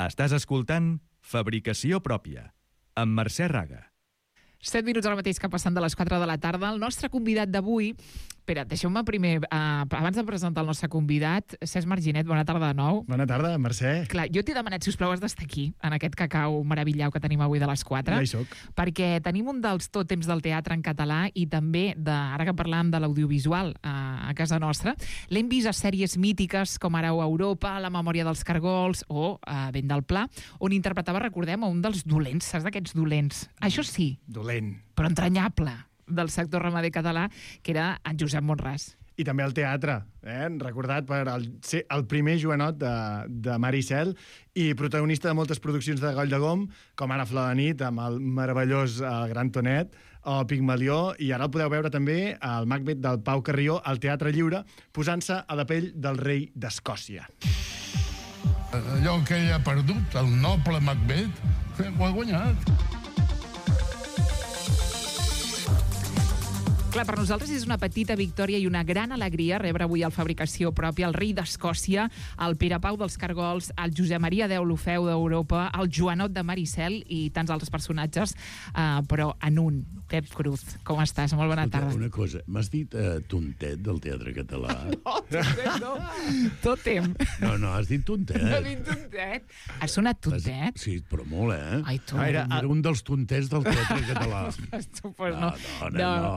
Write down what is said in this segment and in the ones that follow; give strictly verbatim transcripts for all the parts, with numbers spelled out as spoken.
Estàs escoltant Fabricació Pròpia, amb Mercè Raga. Set minuts ara mateix que passen de les quatre de la tarda. El nostre convidat d'avui... Espera, deixeu-me primer, uh, abans de presentar el nostre convidat, Cesc Marginet, bona tarda de nou. Bona tarda, Mercè. Clar, jo t'he demanat, si us plau, has d'estar aquí, en aquest cacau meravillau que tenim avui de les quatre. Ja hi soc. Perquè tenim un dels tòtems del teatre en català i també, de, ara que parlàvem de l'audiovisual a, a casa nostra, l'hem vist a sèries mítiques com Arau a Europa, La memòria dels cargols o a Vent del Pla, on interpretava, recordem, un dels dolents, saps d'aquests dolents? Això sí. Dolent. Però entranyable, del sector ramader català, que era en Josep Monràs. I també el teatre, eh? recordat per el, ser el primer Joanot de, de Maricel i protagonista de moltes produccions de Goll de Gom, com ara Flor de nit, amb el meravellós uh, Gran Tonet, o Pigmalió, i ara el podeu veure també al Macbeth del Pau Carrió al Teatre Lliure, posant-se a la pell del rei d'Escòcia. Allò que ell ha perdut, el noble Macbeth, ho ha guanyat. Clar, per nosaltres és una petita victòria i una gran alegria rebre avui al Fabricació Pròpia el rei d'Escòcia, el Pere Pau dels Cargols, el Josep Maria Deu l'Ofeu d'Europa, el Joanot de Maricel i tants altres personatges, uh, però en un. Pep Cruz, com estàs? Molt bona tarda. Una cosa, m'has dit uh, tontet del teatre català? No, tontet no. Tòtem. No, no, has dit tontet. No, dit tontet. Has sonat tontet? Has... Sí, però molt, eh? Ai, tu. Era, era un dels tontets del teatre català. Tu, pues, no, no, no, no. no.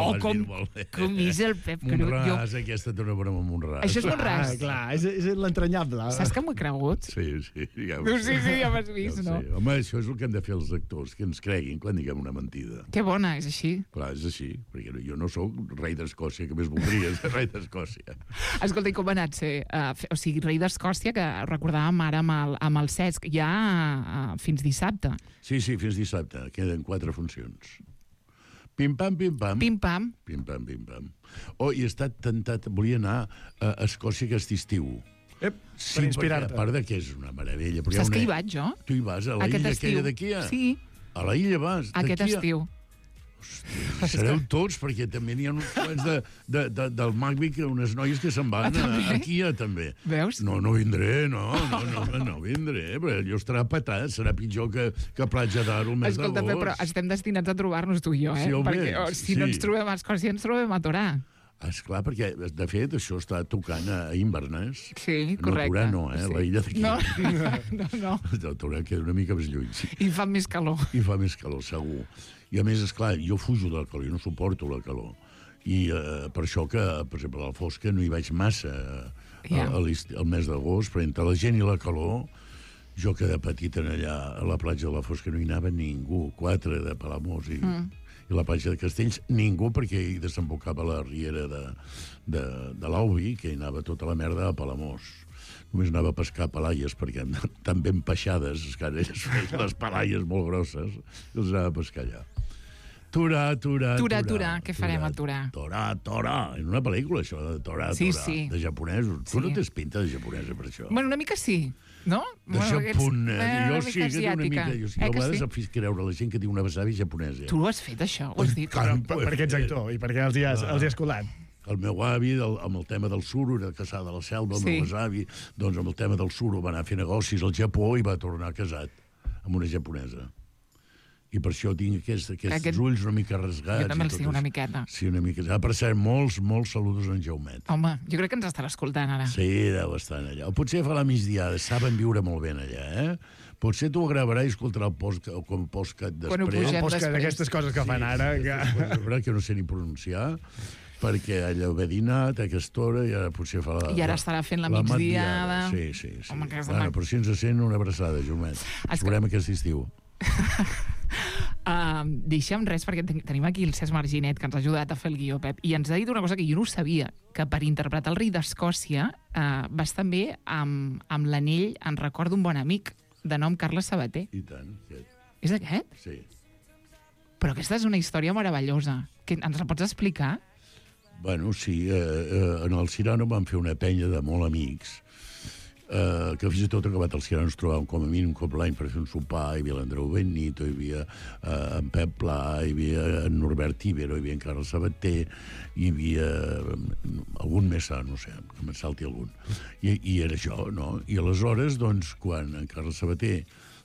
Oh, com, com és el Pep Cruz. Monràs, jo... aquesta té una broma amb Monràs. Això és Monràs. Ah, clar, és, és l'entranyable. Saps que m'ho he cregut? Sí, sí. Ja no, sí, sí, ja m'has vist, ja no? Sé. Home, això és el que han de fer els actors, que ens creguin quan diguem una mentida. Que bona, és així. Clar, és així, perquè jo no sóc rei d'Escòcia, que més voldria ser rei d'Escòcia. Escolta, i com ha anat ser, uh, o sigui, rei d'Escòcia, que recordàvem ara amb el, amb el Cesc, ja uh, fins dissabte. Sí, sí, fins dissabte, queden quatre funcions. Pim-pam, pim-pam. Pim-pam. Pim-pam, pim-pam. Oh, i he estat tentat, volia anar a Escòcia aquest estiu. Ep, sí, per inspirar-te. A part de que és una meravella. Saps una... que hi vaig, jo? Tu hi vas, a la Aquest illa estiu. aquella d'aquí? Sí. A la illa vas? Aquest estiu. Hòstia, sereu tots, perquè també n'hi ha uns quants de, de, de, del Macbeth, unes noies que se'n van ah, a, aquí a, també. Veus? No, no vindré, no, no, no, no vindré, però allò estarà patat, serà pitjor que, que Platja d'Aro el mes Escolta, d'agost. però estem destinats a trobar-nos tu i jo, eh? Sí, home, perquè oh, si sí. no ens trobem a Escòcia, ens trobem a Torà. Esclar, perquè, de fet, això està tocant a Inverness. Sí, correcte. No, Torà no, eh? Sí. La illa d'aquí. No, no, no. El Torà queda una mica més lluny. Sí. I fa més calor. I fa més calor, segur. I a més, esclar, jo fujo de la calor, jo no suporto la calor. I eh, per això que, per exemple, a la Fosca no hi vaig massa yeah. al mes d'agost, però entre la gent i la calor, jo que de petit en allà a la platja de la Fosca no hi anava ningú, quatre de Palamós i... Mm. i la platja de Castells, ningú, perquè hi desembocava la riera de, de, de l'Aubi, que hi anava tota la merda a Palamós. Només anava a pescar palaies, perquè tan ben peixades, que ara elles feien les palaies molt grosses, i els anava a pescar allà. Torà, Torà, Torà, Torà, què farem a Torà? Torà, Torà, en una pel·lícula, això, de Torà, sí, Torà, sí. de japonesos. Sí. Tu no tens pinta de japonesa per això. Bueno, una mica sí, no? De bueno, japonesa. eh, Jo sí que tinc una mica... Jo sí, eh, a vegades sí? em fiz creure la gent que diu una besavi japonesa. Tu ho has fet, això? Ho has dit? Però, per, perquè ets actor i perquè els hi has, els hi has colat. El meu avi, del, amb el tema del suro, era casat de la selva, el sí. meu besavi, doncs amb el tema del suro va anar a fer negocis al Japó i va tornar casat amb una japonesa. I per això tinc aquests, aquests Aquest... ulls una mica rasgats. Jo també els tinc una això. miqueta. Sí, una mica. Ah, per cert, molts, molts saludos en Jaumet. Home, jo crec que ens estarà escoltant ara. Sí, deu estar allà. O potser fa la migdiada, saben viure molt bé allà, eh? Potser tu ho gravaràs i escoltarà el post, com postcat després. Quan ho pugem el postcat d'aquestes coses que sí, fan ara. Sí, Que... sí, que no sé ni pronunciar, perquè allà ho ve dinat a aquesta hora i ara potser fa la... I ara estarà fent la, la migdiada. Sí, sí, sí. Home, bueno, però si ens sent una abraçada, Jomet. Ens veurem aquest estiu. Uh, deixem res, perquè ten tenim aquí el Cesc Marginet, que ens ha ajudat a fer el guió, Pep, i ens ha dit una cosa que jo no sabia, que per interpretar el rei d'Escòcia uh, vas també amb, amb l'anell en record d'un bon amic de nom Carles Sabater. I tant. Aquest. És aquest? Sí. Però aquesta és una història meravellosa. Que ens la pots explicar? Bueno, sí, eh, eh, en el Cirano vam fer una penya de molt amics. eh, que fins i tot acabat els que ens trobàvem com a mínim un cop l'any per fer un sopar, hi havia l'Andreu Benito, hi havia eh, en Pep Pla, hi havia en Norbert Ibero, hi havia en Carles Sabater, hi havia eh, algun més, no sé, que me'n salti algun. I, I era això, no? I aleshores, doncs, quan en Carles Sabater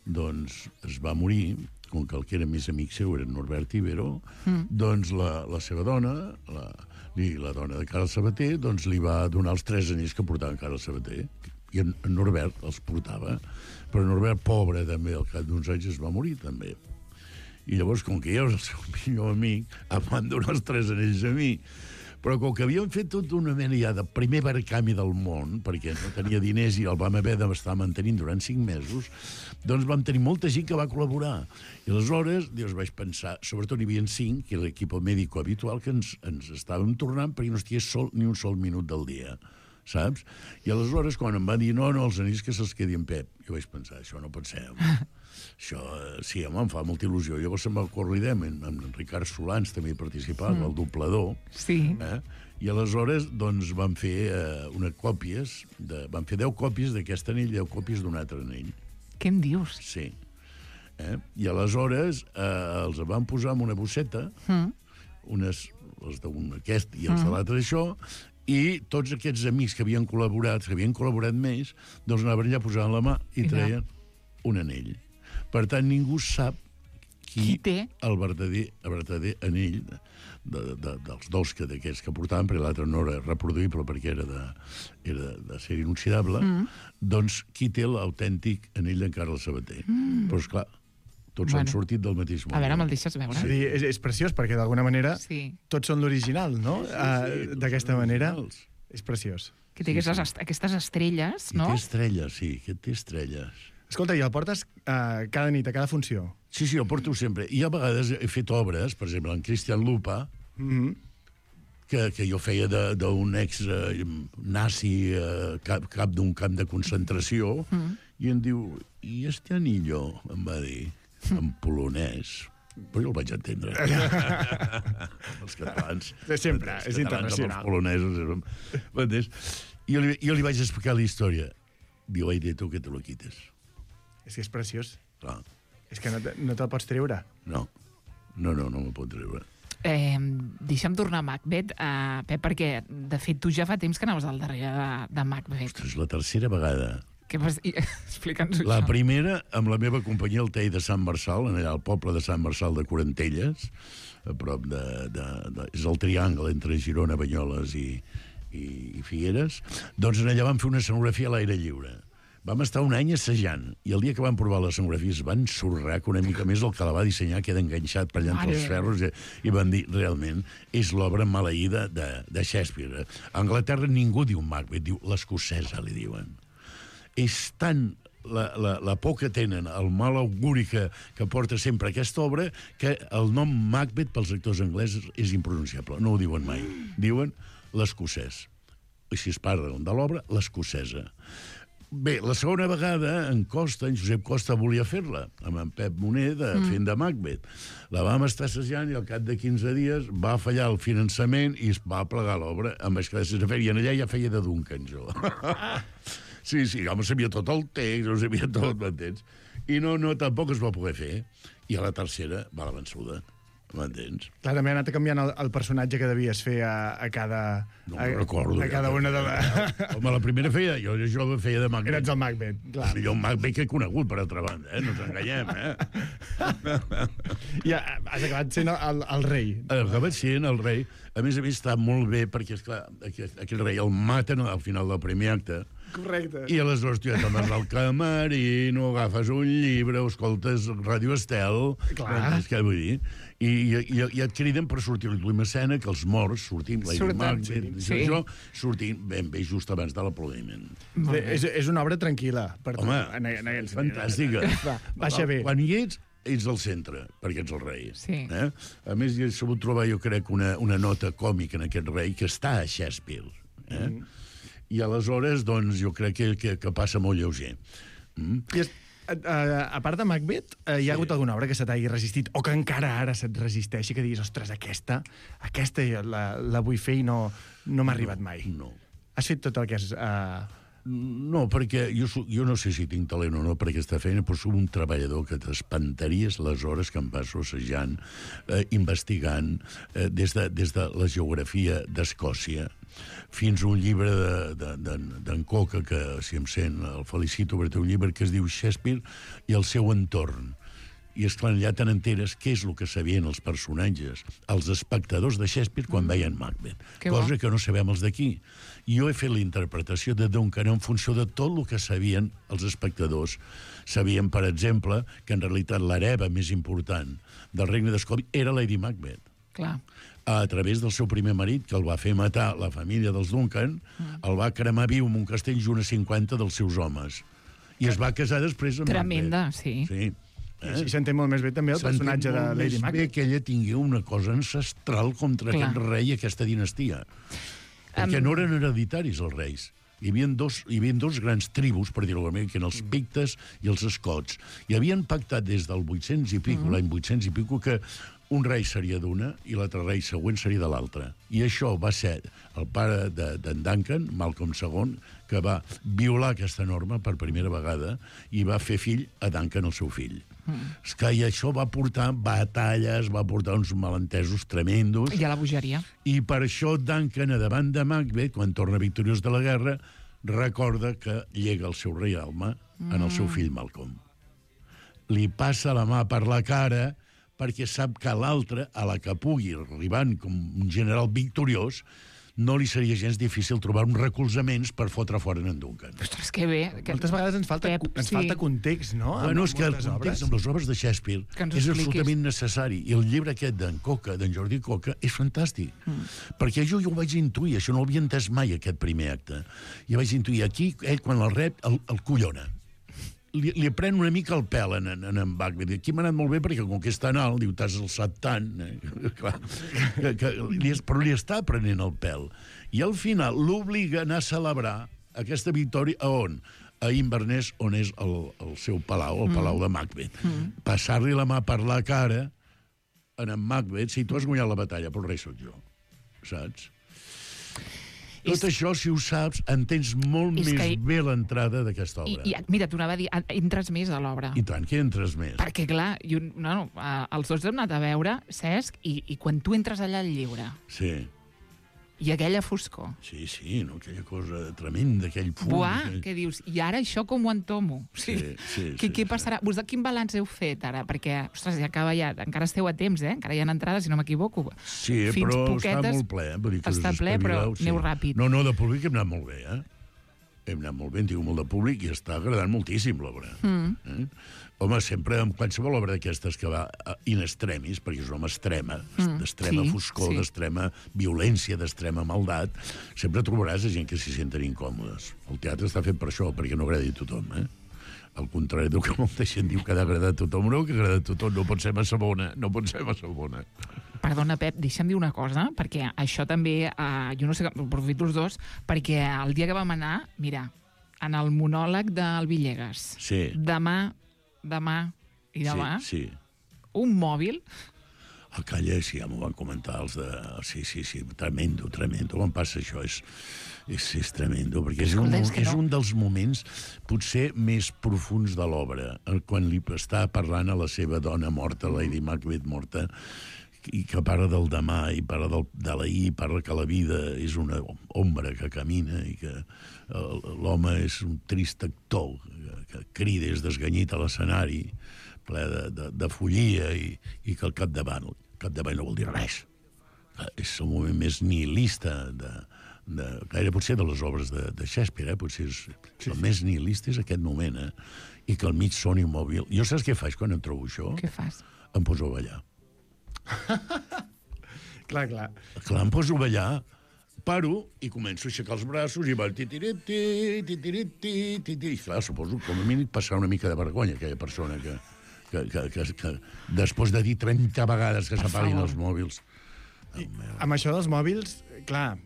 doncs, es va morir, com que el que era més amic seu era Norbert Ibero, mm. doncs la, la seva dona, la, i la dona de Carles Sabater, doncs li va donar els tres anells que portava en Carles Sabater. I en, en Norbert els portava. Però Norbert, pobre, també, al cap d'uns anys es va morir, també. I llavors, com que jo era el seu millor amic, em van donar els tres anells a mi. Però com que havíem fet tota una mena ja de primer barcami del món, perquè no tenia diners i el vam haver d'estar mantenint durant cinc mesos, doncs vam tenir molta gent que va col·laborar. I aleshores, doncs vaig pensar, sobretot n'hi havia cinc, que era l'equip mèdico habitual, que ens, ens estàvem tornant perquè no estigués sol ni un sol minut del dia, saps? I aleshores, quan em van dir, no, no, els anells que se'ls quedi en Pep, jo vaig pensar, això no pot ser, home. Això, sí, home, em fa molta il·lusió. Llavors se'm va ocórrer idea, en, en Ricard Solans també hi participava, mm. el doblador. Sí. Eh? I aleshores, doncs, van fer eh, unes còpies, de, van fer deu còpies d'aquest anell, deu còpies d'un altre anell. Què em dius? Sí. Eh? I aleshores eh, els van posar en una bosseta, mm. unes, els d'un aquest i els mm. de l'altre això, i tots aquests amics que havien col·laborat, que havien col·laborat més, doncs anaven allà, posaven la mà i treien un anell. Per tant, ningú sap qui, qui té el verdader, el verdader anell de, de, de, dels dos que d'aquests que portaven, perquè l'altre no era reproduïble perquè era de, era de ser inoxidable, mm. doncs qui té l'autèntic anell d'en Carles Sabater. Mm. Però, esclar, tots bueno. han sortit del mateix món. A veure, me'l deixes veure? Sí, és, és preciós, perquè d'alguna manera sí. tots són l'original, no? Sí, sí, uh, D'aquesta manera. És preciós. Que té sí, aquestes, sí. aquestes estrelles, no? I té estrelles, sí, que té estrelles. Escolta, i el portes uh, cada nit, a cada funció? Sí, sí, el porto sempre. I a vegades he fet obres, per exemple, en Cristian Lupa, mm-hmm. que, que jo feia d'un ex-nazi uh, cap, cap d'un camp de concentració, mm-hmm. i em diu, i este anillo, em va dir, en polonès. Però jo el vaig entendre. Els catalans. Sempre, els és internacional. Els polonesos. M'entens? Jo, li, jo li vaig explicar la història. Diu, ai, de tu que te lo quites. És que és preciós. Clar. És que no, te, no te'l pots treure. No. No, no, no me'l pot treure. Eh, deixa'm tornar a Macbeth, eh, Pep, perquè, de fet, tu ja fa temps que anaves al darrere de, de Macbeth. Ostres, la tercera vegada. Què vas dir? Explica'ns-ho. La primera, amb la meva companyia, el Tei de Sant Marçal, allà al poble de Sant Marçal de Corantelles, a prop de... de, de és el triangle entre Girona, Banyoles i, i, i Figueres. Doncs allà vam fer una escenografia a l'aire lliure. Vam estar un any assajant, i el dia que vam provar les escenografies van sorrar que una mica més el que la va dissenyar queda enganxat per allà entre els ferros, i, i van dir, realment, és l'obra maleïda de, de Shakespeare. A Anglaterra ningú diu Macbeth, diu l'escocesa, li diuen. És tan la, la, la por que tenen, el mal auguri que, que porta sempre aquesta obra, que el nom Macbeth pels actors anglesos és impronunciable, no ho diuen mai. Diuen l'escocès. Així es parlen de l'obra, l'escocesa. Bé, la segona vegada, en Costa, en Josep Costa, volia fer-la, amb en Pep Moner, de, mm. fent de Macbeth. La vam estar assajant i al cap de quinze dies va fallar el finançament i es va plegar l'obra amb les classes de fer, i en allà ja feia de Duncan, jo. Sí, sí, home, sabia tot el text, ho sabia tot, m'entens? I no, no, tampoc es va poder fer. I a la tercera va la vençuda. M'entens? Clar, també ha anat canviant el, el personatge que devies fer a, a cada... No a, recordo. A cada una de les... Home, la primera feia... Jo, jo feia de Macbeth. Eres el Macbeth, clar. El millor Macbeth que he conegut, per altra banda, eh? No ens enganyem, eh? Ja, has acabat sent el, el rei. Has acabat sent el rei. A més a més, està molt bé, perquè, esclar, aquell, aquell rei el maten al final del primer acte. Correcte. I aleshores tu ja te'n vas al camerino, agafes un llibre, escoltes Ràdio Estel... Clar. És que vull dir... I, i, i et criden per sortir a l'última escena, que els morts sortim, la Macbeth, sí. això, sortim ben bé just abans de l'aplaudiment. És, és una obra tranquil·la. Per Home, en, en, en, fantàstica. Va, baixa bé. Quan hi ets, ets al centre, perquè ets el rei. Sí. Eh? A més, he sabut trobar, jo crec, una, una nota còmica en aquest rei que està a Shakespeare. Eh? Mm. I aleshores, doncs, jo crec que, que, que passa molt lleuger. Mm? I és... Uh, a part de Macbeth, uh, hi ha sí. hagut alguna obra que se t'hagi resistit o que encara ara se't resisteixi, que diguis, ostres, aquesta, aquesta la, la vull fer i no, no m'ha arribat mai? No. Has fet tot el que has, uh, No, perquè jo, jo no sé si tinc talent o no per aquesta feina, però soc un treballador que t'espantaries les hores que em passo assajant, eh, investigant, eh, des, de, des de la geografia d'Escòcia fins a un llibre d'en de, de, de, Coca, que si em sent el felicito, perquè té un llibre que es diu Shakespeare i el seu entorn. I, esclar, allà te n'enteres què és el que sabien els personatges, els espectadors de Shakespeare quan mm. veien Macbeth. Que cosa bo. Que no sabem els d'aquí. I jo he fet la interpretació de Duncan en funció de tot el que sabien els espectadors. Sabien, per exemple, que en realitat l'hereva més important del regne d'Escòcia era Lady Macbeth. Clar. A través del seu primer marit, que el va fer matar la família dels Duncan, mm. el va cremar viu en un castell junt a cinquanta dels seus homes. I es va casar després amb Tremenda, Macbeth. sí. Sí. Eh? I s'entén molt més bé també el personatge de Lady Macbeth. Bé que ella tingui una cosa ancestral contra Clar. Aquest rei i aquesta dinastia. Perquè um... no eren hereditaris els reis. Hi havia dos, hi havia dos grans tribus, per dir-ho bé, que eren els pictes i els escots. I havien pactat des del vuit-cents i pico, mm. l'any vuit-cents i pico, que un rei seria d'una i l'altre rei següent seria de l'altre. I això va ser el pare d'en de, Duncan, Malcolm segon, que va violar aquesta norma per primera vegada i va fer fill a Duncan, el seu fill. Mm. És que i això va portar batalles, va portar uns malentesos tremendos. I a la bogeria. I per això Duncan, a davant de Macbeth, quan torna victoriós de la guerra, recorda que llega el seu reialme mm. en el seu fill Malcolm. Li passa la mà per la cara perquè sap que l'altre, a la que pugui, arribant com un general victoriós, no li seria gens difícil trobar uns recolzaments per fotre fora en Duncan. Ostres, que bé. Que... Moltes vegades ens falta, Pep, ens sí. falta context, no? Bueno, és que el context obres. Amb les obres de Shakespeare és absolutament necessari. I el llibre aquest d'en Coca, d'en Jordi Coca, és fantàstic. Mm. Perquè jo, jo ho vaig intuir, això no ho havia entès mai, aquest primer acte. I vaig intuir, aquí, ell, quan el rep, el, el collona. Li, li pren una mica el pèl en, en, en Macbeth. Aquí m'ha anat molt bé perquè com que és tan alt, diu, t'has alçat tant, eh? Clar, que, que, li, però li està prenent el pèl. I al final l'obliga a anar a celebrar aquesta victòria a on? A Inverness, on és el, el seu palau, el mm. palau de Macbeth. Mm. Passar-li la mà per la cara en en Macbeth, si tu has guanyat la batalla, però el rei sóc jo, saps? Tot és... això, si ho saps, entens molt és més que... bé l'entrada d'aquesta obra. I, i mira, t'ho anava a dir, entres més a l'obra. I tant, que entres més. Perquè, clar, jo, no, no, els dos hem anat a veure, Cesc, i, i quan tu entres allà al llibre... Sí. I aquella foscor. Sí, sí, no? Aquella cosa tremenda, aquell fum... Buah, aquell... què dius? I ara això com ho entomo? Sí, sí, sí. Què, sí, què passarà? Sí. Vos, quin balanç heu fet ara? Perquè, ostres, ja acaba ja... Encara esteu a temps, eh? Encara hi ha entrades, si no m'equivoco. Sí, Fins però poquetes, està molt ple. Vull dir que està ple, però sí. Aneu ràpid. No, no, de públic hem anat molt bé, eh? Hem anat molt bé, hem tingut molt de públic i està agradant moltíssim l'obra. Mm. Eh? Home, sempre amb qualsevol obra d'aquestes que va in extremis, perquè és una home extrema, mm, d'extrema sí, foscor, sí. d'extrema violència, d'extrema maldat, sempre trobaràs gent que s'hi senten incòmodes. El teatre està fet per això, perquè no agradi a tothom, eh? Al contrari del que molta gent diu que ha d'agradar a tothom, no, que agrada a tothom, no pot ser massa bona, no pot ser massa bona. Perdona, Pep, deixa'm dir una cosa, perquè això també, eh, jo no sé, aprofito els dos, perquè el dia que vam anar, mira, en el monòleg del Villegas, sí. demà, demà i demà, sí, sí. un mòbil... A Calla, sí, ja m'ho van comentar els de... Sí, sí, sí, tremendo, tremendo. On passa això? És, és, és tremendo, perquè és un, és no. un dels moments potser més profuns de l'obra, quan li està parlant a la seva dona morta, Lady Macbeth morta, i que parla del demà, i parla del, de l'ahir, i parla que la vida és una ombra que camina, i que l'home és un trist actor, que, que crida, és desganyit a l'escenari, ple de, de, de follia, i, i que al capdavant, el capdavant no vol dir res. És el moment més nihilista de, de, gaire potser de les obres de, de Shakespeare, eh? Potser és, sí, el sí. més nihilista és aquest moment, eh? I que al mig soni mòbil. Jo saps què faig quan em trobo això? Què fas? Em poso a ballar. clar, clar. Clar, em poso a ballar, paro i començo a aixecar els braços i va... Titiriti, titiriti, titiriti. I clar, suposo com a mínim passar una mica de vergonya aquella persona que... Que, que, que, que després de dir trenta vegades que s'apaguin els mòbils. I, amb això dels mòbils, clar,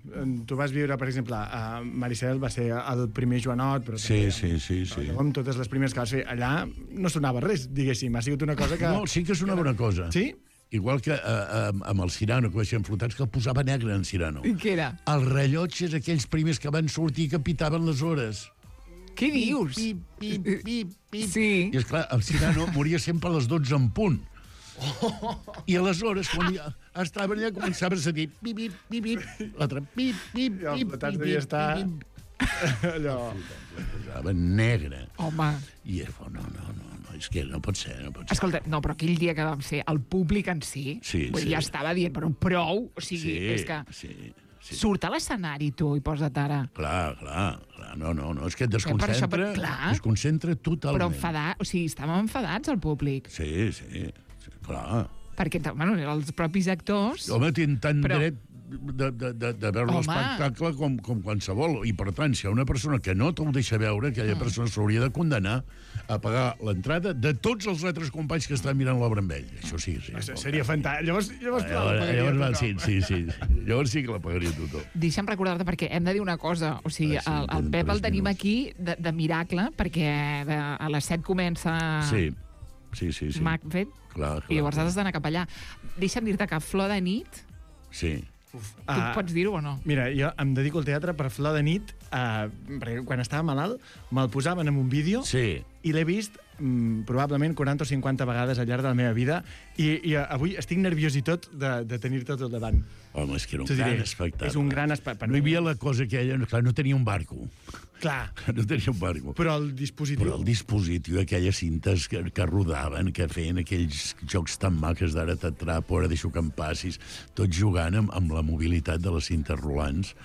tu vas viure, per exemple, a Maricel va ser el primer Joanot, però sí, sí, sí, sí. Com totes les primeres que vas fer, allà no sonava res, diguéssim, ha sigut una cosa que... No, sí que sonava una cosa. Sí? Igual que uh, amb el Cyrano, que baixem flotats, que el posava negre en Cyrano. I què era? Els rellotges, aquells primers que van sortir que pitaven les hores. Què dius? Pip, pip, pip, pip, pip. Sí. I, esclar, el Cyrano moria sempre a les dotze en punt. I aleshores, quan ja estaven allà, començava a sentir pip, pip, pip, pip, l'altre pip, pip, I els pip, petats pip, devia pip, estar... pip. Allò... La posava negra. Home. I és, no, no, no, no, és que no pot ser, no pot ser. Escolta, no, però aquell dia que vam ser, el públic en si, Sí, vull dir, sí. ja estava dient, però prou, o sigui, Sí, és que sí, sí. surt a l'escenari tu i posa't ara. Clar, clar, clar, no, no, no, és que et Per això, desconcentra, per- clar. desconcentra totalment. Però enfadat, o sigui, estàvem enfadats al públic, Sí, sí, sí, clar. perquè, bueno, els propis actors... Home, tinc tant Però- dret de, de, de, de veure Home. l'espectacle com, com qualsevol. I, per tant, si hi ha una persona que no te'l deixa veure, aquella persona s'hauria de condenar a pagar l'entrada de tots els altres companys que estan mirant l'obra amb ell. Això sí, sí. Seria fantàstic. Llavors, llavors, clar, la Llavors, pagaria llavors, va, tothom. sí, sí, sí. Llavors sí que la pagaria tothom. Deixa'm recordar-te, perquè hem de dir una cosa. O sigui, Ah, sí, el, el tenen Pep el tres tenim minuts. aquí de, de miracle, perquè de, a les set comença Sí, sí, sí. sí. Macbeth, Clar, clar. i llavors has d'anar cap allà. Deixa'm dir-te que Flor de nit, Sí. tu Ah, pots dir-ho o no? Mira, jo em dedico al teatre per Flor de nit, eh, perquè quan estava malalt me'l posaven en un vídeo Sí. i l'he vist mm, probablement quaranta o cinquanta vegades al llarg de la meva vida i, i eh, avui estic nerviós i tot de, de tenir-te tot davant. Home, és que era un T'ho diré, gran espectacle. és un gran espectacle. No hi havia la cosa aquella... Clar, no tenia un barco. Clar, No tenia un barco. però el dispositiu... Però el dispositiu, aquelles cintes que, que rodaven, que feien aquells jocs tan maques d'ara t'atrapo, ara deixo que em passis, tots jugant amb, amb la mobilitat de les cintes rolants.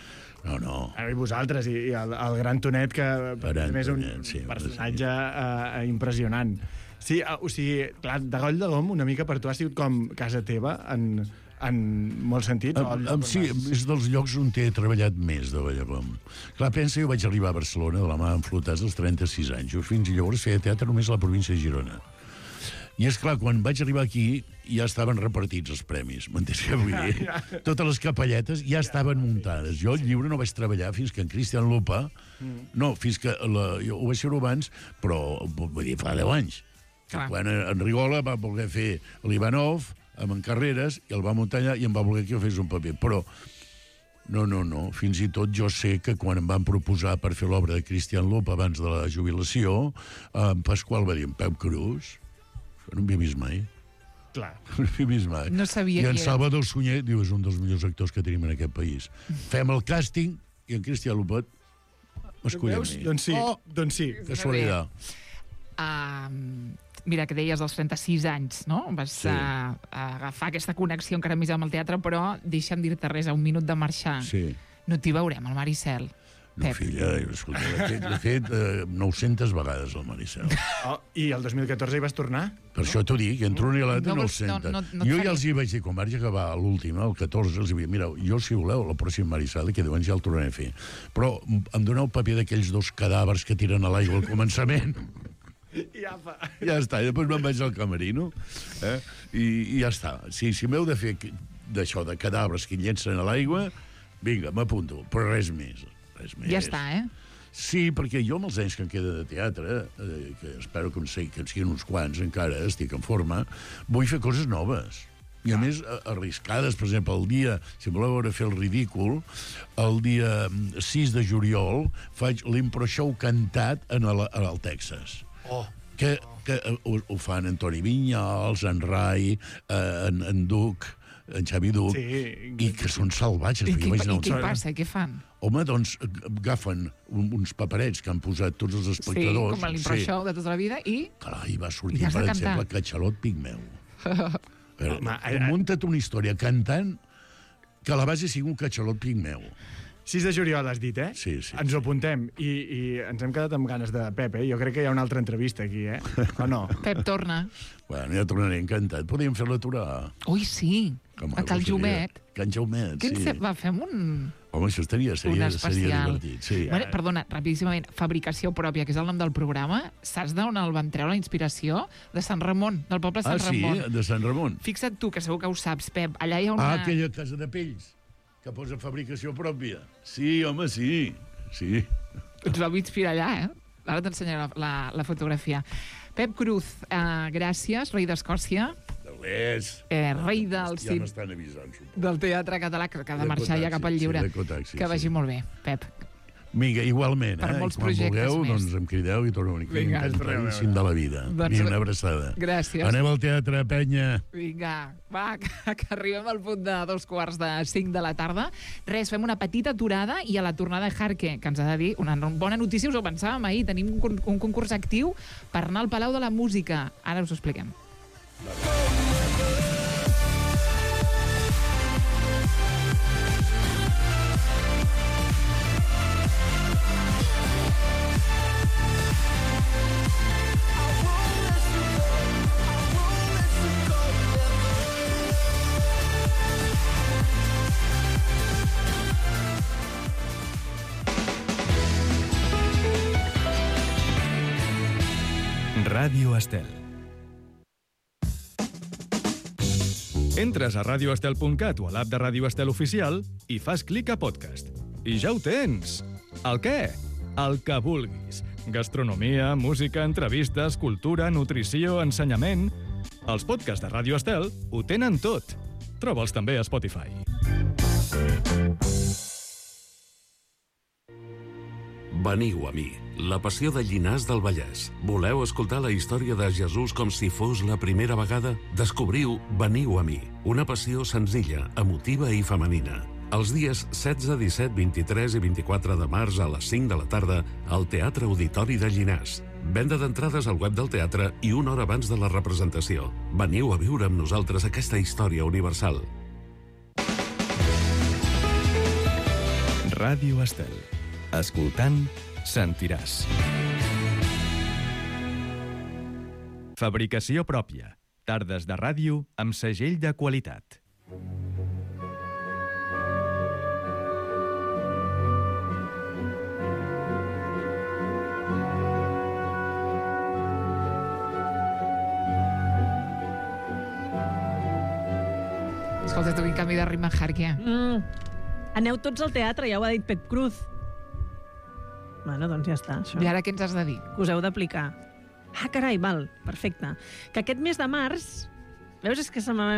No, no. Ara, i vosaltres, i, i el, el gran Tonet, que Gran a més és un Tonet, sí, personatge eh, impressionant. Sí, eh, o sigui, clar, de Goll de Gom una mica per tu ha sigut com casa teva en, en molts sentits. o el Am, lloc am, on sí, vas? és dels llocs on he treballat més de Vallagom. Clar, pensa, jo vaig arribar a Barcelona de la mà enflotats als trenta-sis anys. Jo fins llavors feia teatre només a la província de Girona. I és clar, quan vaig arribar aquí ja estaven repartits els premis, m'entens què vull dir? Totes les capelletes ja estaven muntades. Jo el llibre no vaig treballar fins que en Cristian Lupa... No, fins que... La, jo ho vaig fer abans, però vull dir, fa deu anys. Clar. Quan en Rigola va voler fer l'Ivanov amb en Carreras i el va muntar allà i em va voler que jo fes un paper. Però no, no, no. Fins i tot jo sé que quan em van proposar per fer l'obra de Cristian Lupa abans de la jubilació, en Pasqual va dir, en Pep Cruz, això no havia vist mai. Clar. No havia vist mai. No sabia I qui en era. Salvador Sunyer, diu, és un dels millors actors que tenim en aquest país. Fem el càsting i en Cristian Lupa m'escull a Veus? mi. Doncs sí, Oh, doncs sí. casualitat. Uh, mira, que deies dels trenta-sis anys, no? Vas Sí. sí. uh, agafar aquesta connexió encara més amb el teatre, però deixa'm dir-te res, a un minut de marxar. Sí. No t'hi veurem, al Maricel. No, Pep. filla, escolta, l'he fet, l'he fet eh, nou-centes vegades, el Maricel. Oh, I el dos mil catorze hi vas tornar? Per això t'ho dic, entre una i l'altra No no, vols- nou-centes. no- no- no et jo faré. ja els hi vaig dir, quan vaig acabar l'última, el catorze, els hi vaig dir, mireu, jo, si voleu, la pròxima Maricel, que diuen ja el tornaré a fer. Però em doneu el paper d'aquells dos cadàvers que tiren a l'aigua al començament. I apa. Ja està, i després me'n vaig al camerino, eh? I, i ja està. Si, si m'heu de fer que- d'això, de cadàvers que llencen a l'aigua, vinga, m'apunto, però res més. Res més. Ja està, eh? Sí, perquè jo amb els anys que em queda de teatre, eh, que espero que en, sigui, que en siguin uns quants encara, estic en forma, vull fer coses noves. I a més, a- arriscades. Per exemple, el dia, si voleu veure fer el ridícul, el dia mm, sis de juliol faig l'impro-show cantat en el, en el Texas. Oh. Que, que eh, ho, ho fan en Toni Vinyals, en Rai, eh, en, en Duc, en Xavi Duc, Sí. i que són salvatges. I, perquè què, jo vaig anar i al què teatre. passa? Què fan? Home, doncs, agafen un, uns paperets que han posat tots els Sí, espectadors. com a l'impro-show de tota la vida, i... Clar, i va sortir, I has de per cantar. exemple, Catxalot Pigmeu. Però, Home, tu eh, munta't una història cantant que a la base sigui un Catxalot Pigmeu. sis de juliol has dit, eh? Sí, sí, Ens sí. ho apuntem. I, I ens hem quedat amb ganes de Pep, eh? Jo crec que hi ha una altra entrevista aquí, eh? O no? Pep torna. Bueno, ja tornaré encantat. Podríem fer-la aturar. Ui, sí, Que a Cal maco seria. Jumet. Can Jaumet, Què sí. ens va, fem un... Home, això estaria, un seria, seria especial. divertit. Sí. Bueno, perdona, rapidíssimament, fabricació pròpia, que és el nom del programa. Saps d'on el van treure la inspiració? De Sant Ramon, del poble de Ah, Sant sí? Ramon. De Sant Ramon. Fixa't tu, que segur que ho saps, Pep. Allà hi ha una... Ah, aquella casa de pells, que posa fabricació pròpia. Sí, home, sí. Sí. Ens vau inspirar allà, eh? Ara t'ensenyaré la, la, la fotografia. Pep Cruz, eh, gràcies, rei d'Escòcia, De l'Es. eh, rei del, Ja cim, m'estan avisant, suposo. del teatre català, que ha de marxar ja cap al D'Ecotaxi, lliure. sí, d'Ecotaxi, Que vagi sí. molt bé, Pep. Vinga, igualment. Per eh? molts Quan projectes vulgueu, més. doncs em crideu i torneu aquí. Vinga. Encantadíssim de la vida. Doncs- Vinga, una abraçada. Gràcies. Anem al teatre, penya. Vinga, va, que, que arribem al punt de dos quarts de cinc de la tarda. Res, fem una petita aturada i a la tornada Jarque, que ens ha de dir una bona notícia, us ho pensàvem ahir, tenim un, con- un concurs actiu per anar al Palau de la Música. Ara us ho expliquem. Ràdio Estel. Entres a radio estel punt cat o a l'app de Ràdio Estel Oficial i fas clic a podcast. I ja ho tens! El què? El que vulguis. Gastronomia, música, entrevistes, cultura, nutrició, ensenyament... Els podcasts de Ràdio Estel ho tenen tot. Troba'ls també a Spotify. Veniu a mi, la passió de Llinars del Vallès. Voleu escoltar la història de Jesús com si fos la primera vegada? Descobriu Veniu a mi, una passió senzilla, emotiva i femenina. Els dies setze, disset, vint-i-tres i vint-i-quatre de març a les cinc de la tarda al Teatre Auditori de Llinars. Venda d'entrades al web del teatre i una hora abans de la representació. Veniu a viure amb nosaltres aquesta història universal. Ràdio Estel. Escoltant, sentiràs. Fabricació pròpia. Tardes de ràdio amb segell de qualitat. Escolta, tu, quin canvi de ritme, Jarque. Mm. Aneu tots al teatre, ja ho ha dit Pep Cruz. Bueno, doncs ja està, això. I ara què ens has de dir? Que us heu d'aplicar. Ah, carai, val, perfecte. Que aquest mes de març... Veus, és que se m'ha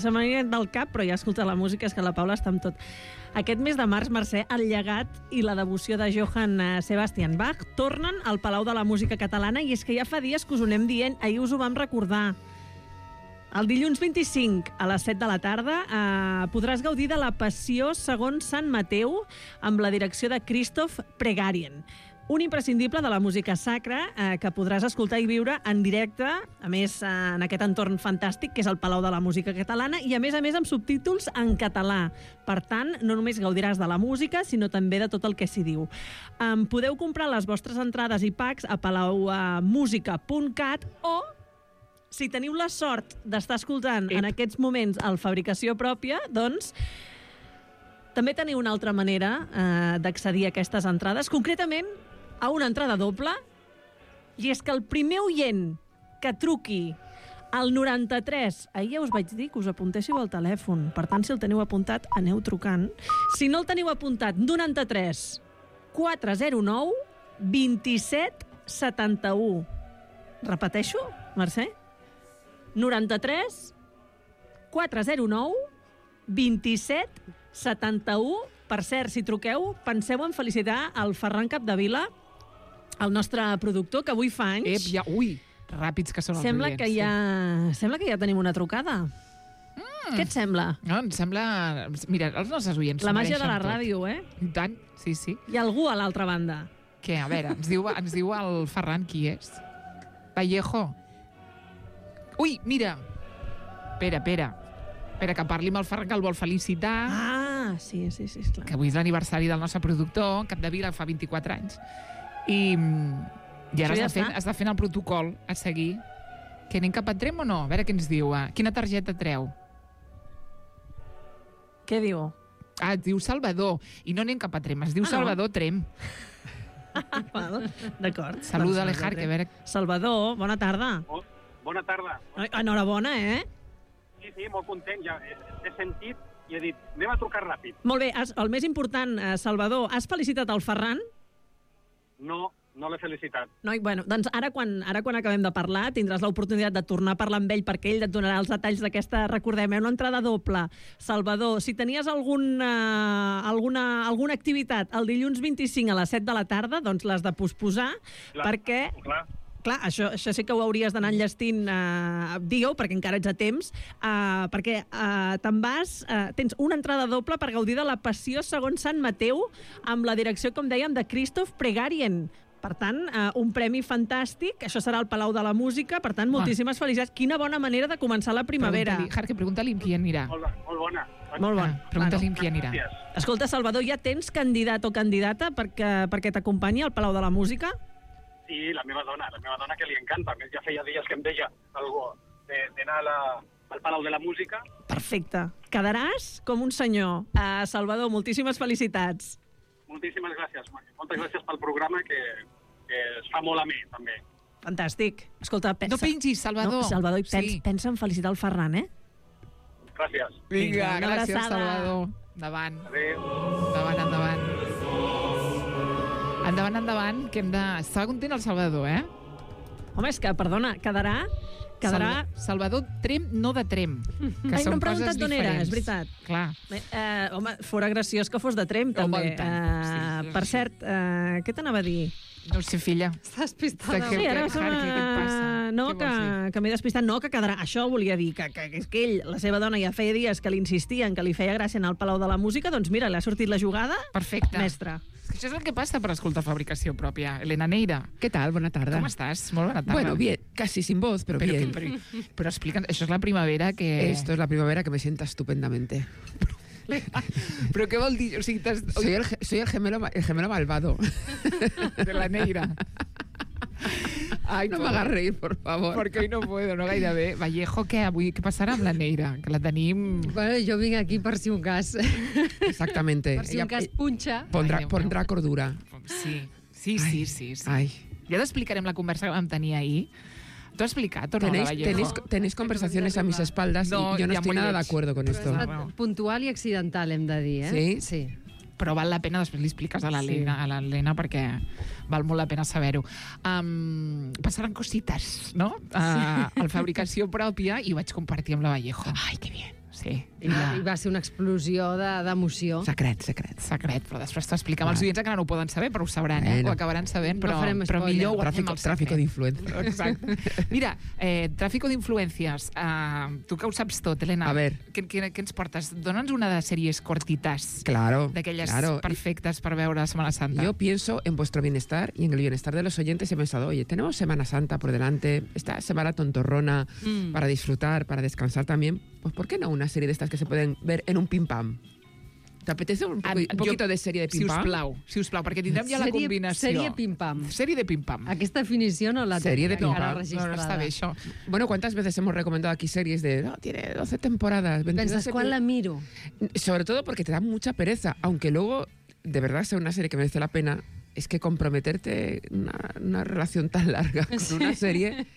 se m'ha anat del cap, però ja escolta la música, és que la Paula està amb tot. Aquest mes de març, Mercè, el llegat i la devoció de Johann Sebastian Bach tornen al Palau de la Música Catalana, i és que ja fa dies que us ho anem dient, ahir us ho vam recordar. El dilluns vint-i-cinc a les set de la tarda eh, podràs gaudir de la Passió segons Sant Mateu amb la direcció de Christoph Pregarien. Un imprescindible de la música sacra eh, que podràs escoltar i viure en directe, a més eh, en aquest entorn fantàstic que és el Palau de la Música Catalana, i a més a més amb subtítols en català. Per tant, no només gaudiràs de la música, sinó també de tot el que s'hi diu. Um, podeu comprar les vostres entrades i packs a palaumusica punt cat o, si teniu la sort d'estar escoltant Ep. en aquests moments el Fabricació Pròpia, doncs també teniu una altra manera eh, d'accedir a aquestes entrades, concretament a una entrada doble, i és que el primer oient que truqui al noranta-tres, ahir ja us vaig dir que us apuntéssiu al telèfon, per tant, si el teniu apuntat, aneu trucant. Si no el teniu apuntat, noranta-tres quatre zero nou vint-i-set setanta-u. Repeteixo, Mercè? noranta-tres quatre zero nou vint-i-set setanta-u. Per cert, si truqueu, penseu en felicitar el Ferran Capdevila, el nostre productor, que avui fa anys. Ep, ja, ui, ràpids que són els Sembla oients. que ja, sembla que ja tenim una trucada. Mm. Què et sembla? No, em sembla... Mira, els nostres oients La s'ho màgia de mereixen la tot. ràdio, eh? I tant, sí, sí. Hi ha algú a l'altra banda. Què, a veure, ens diu, ens diu el Ferran qui és? Vallejo. Ui, mira. Espera, espera. Espera, que parli amb el Ferran, que el vol felicitar. Ah, sí, sí, sí, esclar. Que avui és l'aniversari del nostre productor, Capdevila, fa vint-i-quatre anys. I, i ara Això ja està, fent, està. està fent el protocol a seguir. Que anem cap a Trem o no? A veure què ens diu. Eh? Quina targeta treu? Què diu? Ah, es diu Salvador. I no anem cap a Trem, es diu Ah, no? Salvador Trem. Val, d'acord. Saluda Doncs, l'Ejar, que a veure... Salvador, bona tarda. Bo- Bona tarda. Enhorabona, eh? Sí, sí, molt content. Ja he, he sentit i he dit, anem a trucar ràpid. Molt bé, has, el més important, eh, Salvador, has felicitat el Ferran? No, no l'he felicitat. Noi, bueno, doncs ara quan, ara quan acabem de parlar tindràs l'oportunitat de tornar a parlar amb ell perquè ell et donarà els detalls d'aquesta, recordem, eh, una entrada doble. Salvador, si tenies alguna, alguna, alguna activitat el dilluns vint-i-cinc a les set de la tarda, doncs l'has de posposar, clar, perquè... Clar. Clar, això, això sí que ho hauries d'anar enllestint, eh, digue-ho, perquè encara ets a temps, eh, perquè eh, te'n vas, eh, tens una entrada doble per gaudir de la Passió segons Sant Mateu, amb la direcció, com dèiem, de Christoph Pregarien. Per tant, eh, un premi fantàstic, això serà al Palau de la Música, per tant, moltíssimes ah. felicitats. Quina bona manera de començar la primavera. Pregunta-li, Jarque, pregunta-li amb qui anirà. Molt, molt bona. Molt bona. Ah, pregunta-li amb qui anirà. Escolta, Salvador, ja tens candidat o candidata perquè, perquè t'acompanyi al Palau de la Música? Sí, la meva dona, la meva dona que li encanta. A més, ja feia dies que em deia algú d'anar al Palau de la Música. Perfecte. Quedaràs com un senyor. Uh, Salvador, moltíssimes felicitats. Moltíssimes gràcies. Moltes gràcies pel programa, que, que es fa molt a mi, també. Fantàstic. Escolta, pensa... No pengis, Salvador. No, Salvador, i pens, sí. pensa en felicitar el Ferran, eh? Gràcies. Vinga, Vinga, gràcies, abraçada. Salvador. Endavant. Adéu. Endavant, endavant. Endavant, endavant, que hem de... Estava content el Salvador, eh? Home, és que, perdona, quedarà... quedarà... Salva... Salvador Trem, no de Trem. Que Ai, no són hem preguntat coses d'on era, diferents. és veritat. Clar. Eh, home, fora graciós que fos de Trem, també. Home, tant. Eh, Sí, sí, per sí. cert, eh, què t'anava a dir? No ho sé, filla. Estàs pistada. Què- Sí, ara què- se m'ha- què et passa? No, Què que, vols dir? que m'he despistat. No, que quedarà... Això volia dir, que, que, que és que ell, la seva dona, ja feia dies que li insistien que li feia gràcia anar al Palau de la Música, doncs mira, li ha sortit la jugada. Perfecte. Mestre. Això és el que passa per escoltar fabricació pròpia. Elena Neira, ¿Qué tal? Buena tarde. com estàs? Molt bona tarda. Bueno, bien, casi sin voz, pero, Però, bien. però, però explica'ns, això és la primavera que... Esto es la primavera que me sienta estupendamente. Però què vol dir? O sigui, t'has... Soy el, ge- soy el gemelo, ma- el gemelo malvado. De la Neira. Ai, No me hagas reír, por favor. Perquè hoy no puedo, no gaire bé. Vallejo, què avui? Què passarà amb la Neira? Que la tenim... Bueno, jo vinc aquí per si un cas. Exactamente. Per si Ella un cas punxa. pondrá, Ai, Déu meu. pondrá cordura. Sí, sí, sí, sí. sí. Ay. Ja t'explicarem la conversa que vam tenir ahir. T'ho has explicat o no, la Tenéis, Vallejo? tenéis, tenéis conversaciones a mis espaldas No, y yo no ya estoy muy nada de lleig. acuerdo con Però esto. ha estat puntual i accidental, hem de dir, eh? Sí? Sí. Però val la pena, després li expliques a l'Helena, a l'Helena perquè val molt la pena saber-ho. Um, passaran cosites, no? Uh, a la fabricació pròpia i ho vaig compartir amb la Vallejo. Ai, que bien. Sí. I va, i va ser una explosió de- d'emoció. Secret, secret. Secret, però després t'ho expliquem als Vale. oients que no ho poden saber, però ho sabran, eh? Bueno. Ho acabaran sabent, No però, farem però spoiler. millor ho guardem Tráfico, al tráfico secret. de influencia. Exacte. Mira, eh, tràfico d'influències. Uh, tu que ho saps tot, Helena. A ver. Què, què, què ens portes? Dóna'ns una de sèries cortitas. Claro, D'aquelles claro. perfectes per veure a Semana Santa. Yo pienso en vuestro bienestar y en el bienestar de los oyentes y he pensado, oye, tenemos Semana Santa por delante, esta semana tontorrona Mm. para disfrutar, para descansar también, pues ¿por qué no una serie de estas que se pueden ver en un pim pam? ¿Te apetece un, poco, Ah, un poquito jo- de serie de Si pim us pam? plau, si us plau, perquè tindrem ja la Sèrie- combinació. sèrie pim-pam. Sèrie de pim-pam. Aquesta definició no la Sèrie de tenia pim-pam. encara No, registrada. no està bé, això. Bueno, ¿cuántas veces hemos recomendado aquí series de, no, tiene doce temporadas, veintidós Penses, quan la miro? Sobre todo porque te da mucha pereza, aunque luego, de verdad, sea una serie que merece la pena, es que comprometerte una, una relación tan larga con una serie,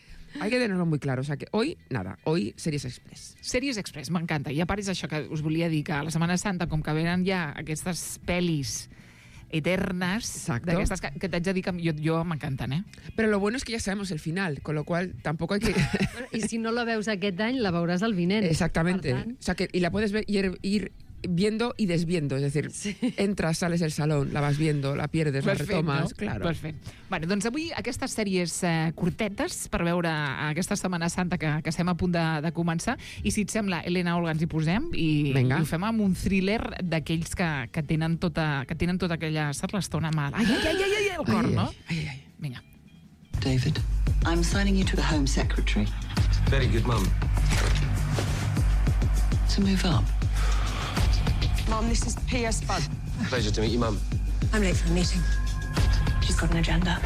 hay que tenerlo muy claro. O sea que hoy, nada, hoy Series Express. Sèries Express, m'encanta. I a part és això que us volia dir, que a la Setmana Santa, com que venen ja aquestes pel·lis eternes, Exacto. d'aquestes que, que t'haig de dir que jo, jo m'encanten, eh? Pero lo bueno es que ya sabemos el final, con lo cual tampoco hay que... I si no la veus aquest any, la veuràs el vinent. Exactamente. Per tant, O sea que, y la puedes ver, ir, ir viendo y desviendo, es decir, Sí. entras, sales del salón, la vas viendo, la pierdes, la retomas, no? claro. Perfecte. Bueno, doncs avui aquestes sèries eh, curtetes per veure aquesta Setmana Santa que, que estem a punt de, de començar. I si et sembla, Helena, Olga, ens hi posem i, Vinga. i ho fem amb un thriller d'aquells que, que, tenen tota, que tenen tota aquella... Saps l'estona mal? Ai, ai, ai, ai, ai, el cor, Ai, no? ai, ai, ai. Vinga. David, I'm signing you to the Home Secretary Very good, Mum. to move up. Mom, this is P S Bud. Pleasure to meet you, Mum. I'm late for a meeting. She's got an agenda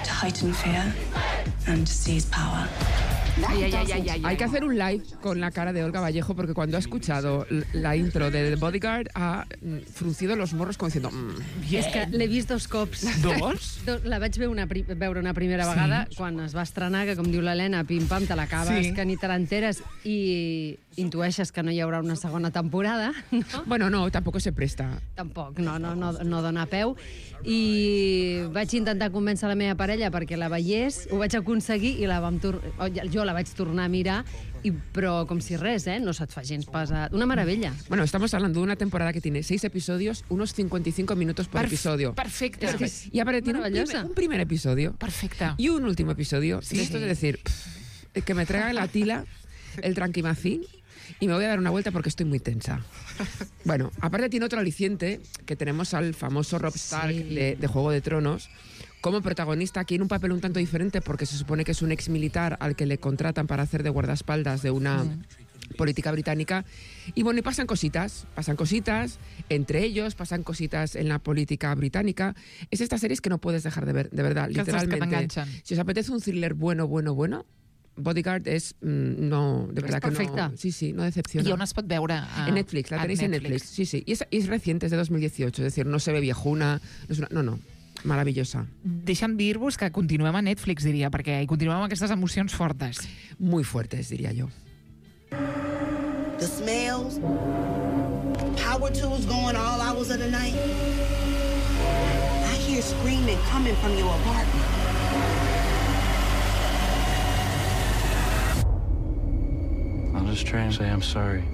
to heighten fear and to seize power. Ay, ay, ay, ay, ay, Hay que hacer un live con la cara de Olga Vallejo porque cuando ha escuchado la intro de The Bodyguard ha fruncido los morros com diciendo... Mm, És que l'he vist dos cops. Dos? La vaig veure una, pri veure una primera vegada Sí. quan es va estrenar, que com diu l'Helena, pim-pam, te l'acabes, Sí. que ni te l'enteres i intueixes que no hi haurà una segona temporada, no? Bueno, no, tampoco se presta. Tampoc, no, no, no, no dona peu. I vaig intentar convèncer la meva parella perquè la veiés, ho vaig aconseguir i la vam tor jo la vaig tornar a mirar, i, però com si res, eh? No se't fa gens pesat. Una meravella. Bueno, estamos hablando de una temporada que tiene seis episodios, unos cincuenta y cinco minutos por Perf episodio. Perfecte. Es que, y aparte tiene un primer, un primer episodio. Perfecte. Y un último episodio. Sí. De esto es decir, pff, que me traiga la tila, el tranquimacín, y me voy a dar una vuelta porque estoy muy tensa. Bueno, aparte tiene otro aliciente, que tenemos al famoso Robb Stark sí. de, de Juego de Tronos, como protagonista aquí en un papel un tanto diferente porque se supone que es un ex militar al que le contratan para hacer de guardaespaldas de una mm. política británica. Y bueno, y pasan cositas, pasan cositas entre ellos, pasan cositas en la política británica. Es estas series que no puedes dejar de ver, de verdad, que literalmente. Que si os apetece un thriller bueno, bueno, bueno, Bodyguard es, mm, no, de verdad que no. Sí, sí, no decepciona. I on es pot veure? A, en Netflix, la tenéis en Netflix. Sí, sí. Y es, y es reciente, es de dos mil dieciocho, es decir, no se ve viejuna, no es una, no, no. Maravillosa. Deixa'm dir-vos que continuem a Netflix, diria, perquè hi continuem amb aquestes emocions fortes. Muy fuertes, diria jo. The smells, power tools going all hours of the night. I hear screaming coming from your apartment. I'll just try and say I'm sorry.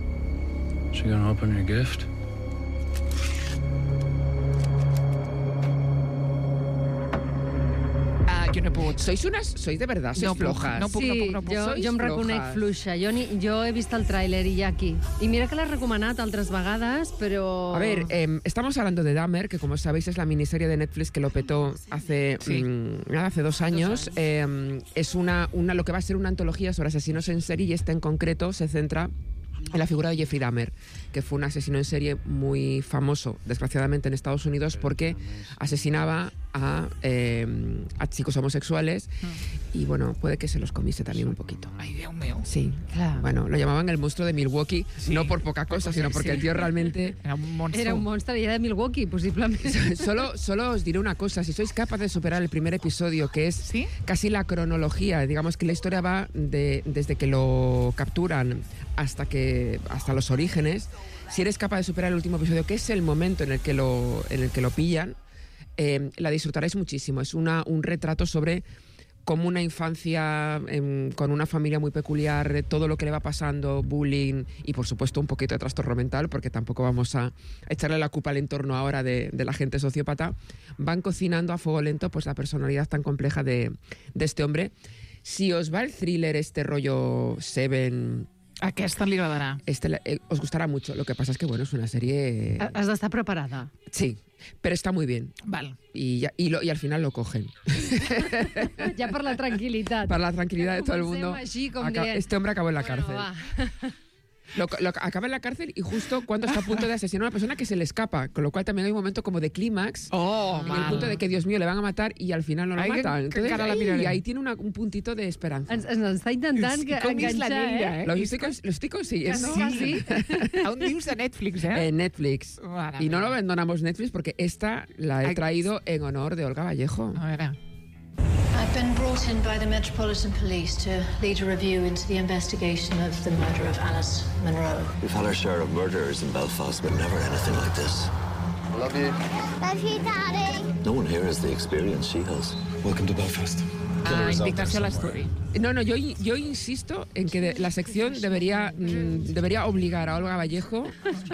So you gonna open your gift? Jo no he pogut. Sois unas, sois de verdad, sois no flojas. No puc, sí, no puc, no puc. Jo, Sois jo em reconec flojas. fluixa. Jo, ni, jo he vist el tràiler i ja aquí. I mira que l'he recomanat altres vegades, però... A ver, eh, estamos hablando de Dahmer, que como sabéis es la miniserie de Netflix que lo petó hace, sí. mmm, nada, hace dos años. Dos años. Eh, es una, una, lo que va a ser una antología sobre asesinos en serie y esta en concreto se centra en la figura de Jeffrey Dahmer, que fue un asesino en serie muy famoso, desgraciadamente, en Estados Unidos porque asesinaba a, eh, a chicos homosexuales y, bueno, puede que se los comiese también un poquito. Ay, Dios mío. Sí, claro. Bueno, lo llamaban el monstruo de Milwaukee, sí. no por poca cosa, sino porque sí. el tío realmente... Era un monstruo. Era un monstruo y era de Milwaukee, posiblemente. Solo, solo os diré una cosa, si sois capaces de superar el primer episodio, que es ¿Sí? casi la cronología, digamos que la historia va de, desde que lo capturan hasta que hasta los orígenes, si eres capaz de superar el último episodio, que es el momento en el que lo, en el que lo pillan, eh, la disfrutaréis muchísimo. Es una, un retrato sobre cómo una infancia eh, con una familia muy peculiar, todo lo que le va pasando, bullying y por supuesto un poquito de trastorno mental, porque tampoco vamos a echarle la culpa al entorno ahora de, de la gente sociópata, van cocinando a fuego lento pues la personalidad tan compleja de, de este hombre. Si os va el thriller, este rollo Seven... Aquesta li agradarà. Este eh, os gustará mucho. Lo que pasa es que, bueno, es una serie... Has d'estar preparada. Sí, pero está muy bien. Val. Y, ya, y, lo, y al final lo cogen. Ya per la tranquil·litat. Para la tranquilidad de todo el mundo. Així, com Acá, dient, este hombre acabó en la bueno, cárcel. Lo, lo, acaba en la cárcel y justo cuando está a punto de asesinar a una persona que se le escapa, con lo cual también hay un momento como de clímax, oh, en el punto de que, Dios mío, le van a matar y al final no lo Ai, matan. Entonces, que, que ahí, y ahí tiene una, un puntito de esperanza. Ens, ens està intentant que, enganxar, eh? Lo estoy, lo estoy consiguiendo. Sí. A un dius de Netflix, eh? En Netflix. Mare y no mía. lo abandonamos Netflix porque esta la he traído en honor de Olga Vallejo. A veure. I've been brought in by the Metropolitan Police to lead a review into the investigation of the murder of Alice Munro. We've had our share of murderers in Belfast, but never anything like this. Love you. Love you, Daddy. No one here has the experience she has. Welcome to Belfast. Ah, indignació a l'estudi. No, no, yo, yo insisto en que de, la sección debería, mmm, debería obligar a Olga Vallejo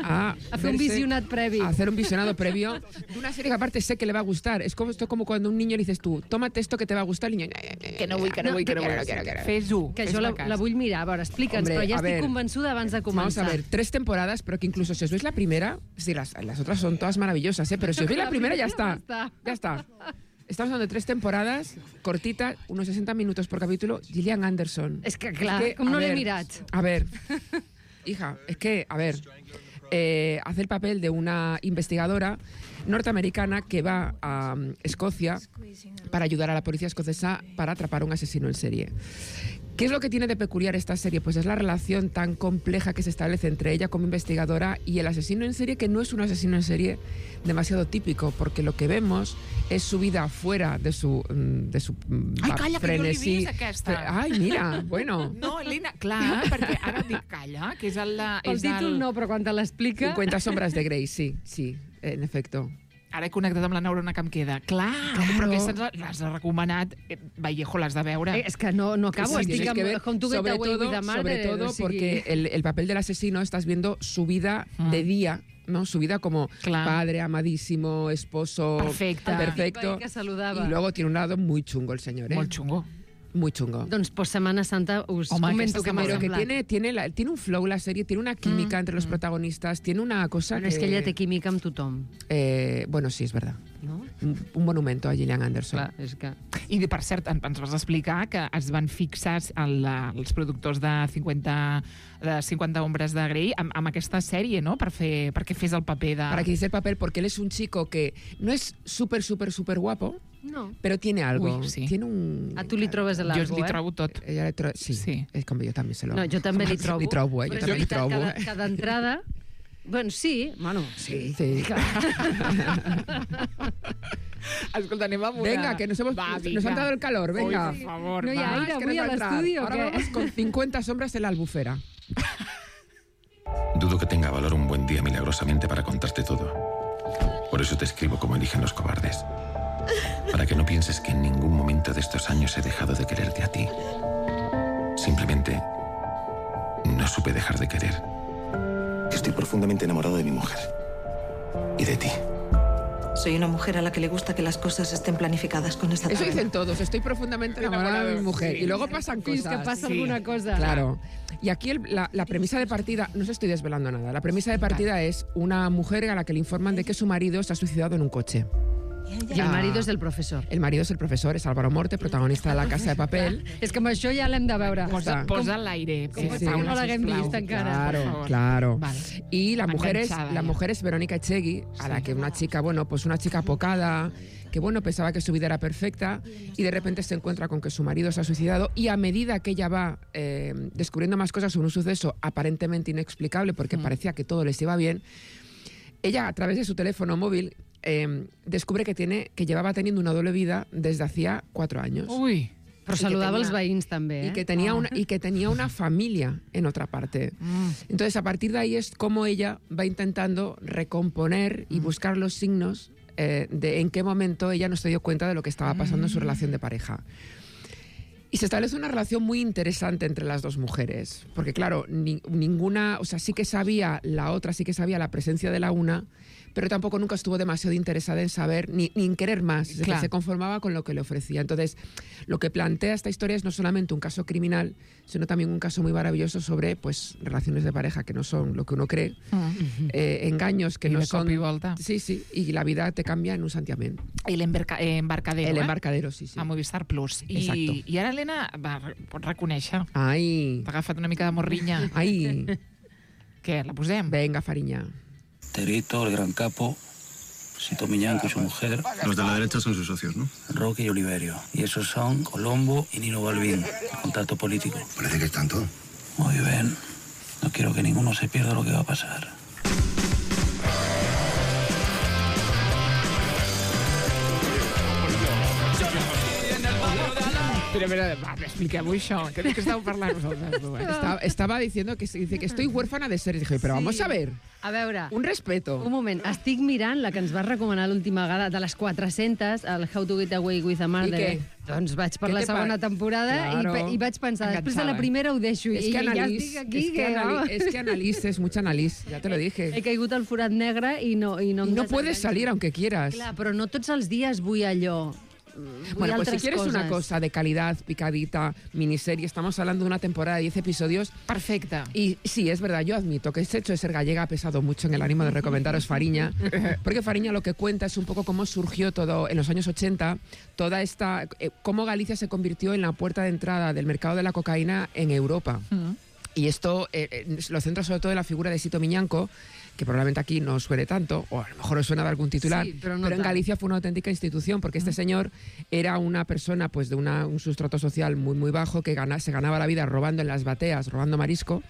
a, a fer un visionat previ. A hacer un visionado previo de una serie que aparte sé que le va a gustar. Es como, esto como cuando a un niño le dices tú, tómate esto que te va a gustar, el niño... Que no vull, que no vull, que no vull. Fes-ho. Que jo la, la vull mirar. A veure, explica'ns, però ja estic convençuda abans de començar. Vamos a ver, tres temporadas, pero que incluso si os veis la primera, sí, las, las otras son todas maravillosas, ¿eh? Pero si os veis la primera ya está. Ya está. Estamos hablando de tres temporadas, cortitas, unos sesenta minutos por capítulo. Gillian Anderson. És que, clar, es que, com no l'he mirat. A ver, hija, es que, a ver, eh, hace el papel de una investigadora norteamericana que va a um, Escocia para ayudar a la policía escocesa para atrapar a un asesino en serie. ¿Qué es lo que tiene de peculiar esta serie? Pues es la relación tan compleja que se establece entre ella como investigadora y el asesino en serie, que no es un asesino en serie demasiado típico, porque lo que vemos es su vida fuera de su, de su Ai, calla, frenesí. que jo l'he vist, aquesta. Ai, mira, bueno. No, Elena, clar, perquè ara dic calla, que és el... El títol no, però quan te l'explica... cincuenta sombras de Grey, sí, sí, en efecto. Ara he connectat amb la neurona que em queda. Clar, Claro. però aquesta l'has recomanat. Eh, Vallejo, l'has de veure. Eh, és que no, no acabo, Sí, estic tienes amb que ver, How to Get sobre Away todo, with a Murder. sobre todo o sigui... porque el, el papel del asesino estás viendo su vida de día, ¿no? Su vida como Clar. padre, amadísimo, esposo, Perfecte. perfecto. Que saludava. Y luego tiene un lado muy chungo el señor, ¿eh? Molt xungo. Muy chungo. Doncs pues Setmana Santa us Home, comento aquesta que m'ha Pero que semblat. tiene, tiene, la- tiene un flow la serie, tiene una química Mm, entre los mm. protagonistas, tiene una cosa Bueno, que... és que ella té química amb tothom. Eh, bueno, sí, es verdad. No? Un, un monumento a Gillian Anderson. Clar, és que... I, per cert, en- ens vas explicar que es van fixar el, els productors de cincuenta, de cincuenta ombres de Grey amb, amb aquesta sèrie, no?, per fer, perquè fes el paper de... Para que hiciese el papel, porque él es un chico que no es súper, súper, súper guapo, No. pero tiene algo. Uy, sí. Tiene un... A tu li trobes l'algo, Jo li eh? trobo tot. Ella le tro... sí, Sí. es como yo también se lo... No, jo també li trobo. Li trobo, eh? Però Jo és també li veritat trobo, que, eh? que d'entrada... Bueno, sí, bueno, sí. Sí. Escolta, anem amb una... Venga, que nos, hemos, Va, nos vinga. han dado el calor, venga. Oi, por favor, No hi ha va. aire Es que avui nos a va a entrar. l'estudi, o Ahora què? vamos con cincuenta sombras en la albufera. Dudo que tenga valor un buen día milagrosamente para contarte todo. Por eso te escribo como eligen los cobardes. Para que no pienses que en ningún momento de estos años he dejado de quererte a ti. Simplemente no supe dejar de querer. Estoy profundamente enamorado de mi mujer. Y de ti. Soy una mujer a la que le gusta que las cosas estén planificadas con esta Eso tabla. dicen todos, estoy profundamente enamorada de mi mujer. Sí. Y luego pasan Fins cosas. que passa Sí. alguna cosa. Claro. Y aquí el- la, la premisa de partida, no os estoy desvelando nada, la premisa de partida es una mujer a la que le informan de que su marido se ha suicidado en un coche. I el marido és el professor. El marido es el profesor, es Álvaro Morte, protagonista de La Casa de Papel. És que amb això ja l'hem de veure. Posa, Com- posa l'aire. com pot ser que no l'haguem vist encara? Claro, por favor. claro. Vale. Y la mujer, es, Enganchada la ya. mujer es Verónica Echegui, a la que una chica, bueno, pues una chica apocada, que bueno, pensaba que su vida era perfecta y de repente se encuentra con que su marido se ha suicidado y a medida que ella va eh, descubriendo más cosas sobre un suceso aparentemente inexplicable porque Mm. parecía que todo les iba bien, ella a través de su teléfono móvil eh, descubre que tiene que llevaba teniendo una doble vida desde hacía cuatro años. Ui. Però I que saludava tenia- els veïns també, eh? Y que, tenía Ah. una, y que tenía una familia en otra parte. Mm. Entonces, a partir de ahí es como ella va intentando recomponer y buscar los signos eh, de en qué momento ella no se dio cuenta de lo que estaba pasando en su relación de pareja. Y se establece una relación muy interesante entre las dos mujeres, porque claro, ni- ninguna, o sea, sí que sabía la otra, sí que sabía la presencia de la una, pero tampoco nunca estuvo demasiado interesada en saber ni, ni en querer más, es decir, Claro. se conformaba con lo que le ofrecía. Entonces, lo que plantea esta historia es no solamente un caso criminal, sino también un caso muy maravilloso sobre pues relaciones de pareja que no son lo que uno cree, Mm. eh, engaños que I no de son... cop i volta. Sí, sí, y la vida te cambia en un santiamén. El embarca, eh, embarcadero, El eh? embarcadero, sí, sí. A Movistar Plus. I, Exacto. I ara, Helena, va, pots reconèixer. Ai, T'ha agafat una mica de morrinya. ai, Què, la posem? venga, Fariña. Terito, el gran capo, Sito Miñanco y su mujer. Los de la derecha son sus socios, ¿no? Roque y Oliverio. Y esos son Colombo y Nino Balbín, el contacto político. Parece que están todos. Muy bien. No quiero que ninguno se pierda lo que va a pasar. Espera, espera, va, expliquem-ho això. Què que estàveu parlant vosaltres dues? Estaba, estaba diciendo que, dice que estoy huérfana de ser. Dije, pero vamos Sí. a ver, A veure, un respeto. un moment. Estic mirant la que ens vas recomanar l'última vegada, de les quatre-centes, el How to Get Away with a Murder. I què? Doncs vaig per Què la te segona pa- temporada Claro. i, pe- i vaig pensar, després de la Enganxada. primera ho deixo. Es I que, ja analiz, estic aquí, es, que que, anali- vamos. es que analices, mucho analiz, ya te lo dije. He caigut al forat negre i no... I no, Y em no puedes desenganxo. salir aunque quieras. Clar, però no tots els dies vull allò. Vull Bueno, pues si altres quieres coses. una cosa de calidad, picadita, miniserie, estamos hablando de una temporada de diez episodios. Perfecte. Y sí, es verdad, yo admito que ese hecho de ser gallega ha pesado mucho en el ánimo de recomendaros Fariña, porque Fariña lo que cuenta es un poco cómo surgió todo en los años ochenta, toda esta, eh, cómo Galicia se convirtió en la puerta de entrada del mercado de la cocaína en Europa. Mm. Y esto eh, eh, lo centra sobre todo en la figura de Sito Miñanco, que probablemente aquí no suene tanto, o a lo mejor os suena de algún titular, Sí, pero no pero en tanto. Galicia fue una auténtica institución, porque este señor era una persona pues de una, un sustrato social muy muy bajo, que gana, se ganaba la vida robando en las bateas, robando marisco,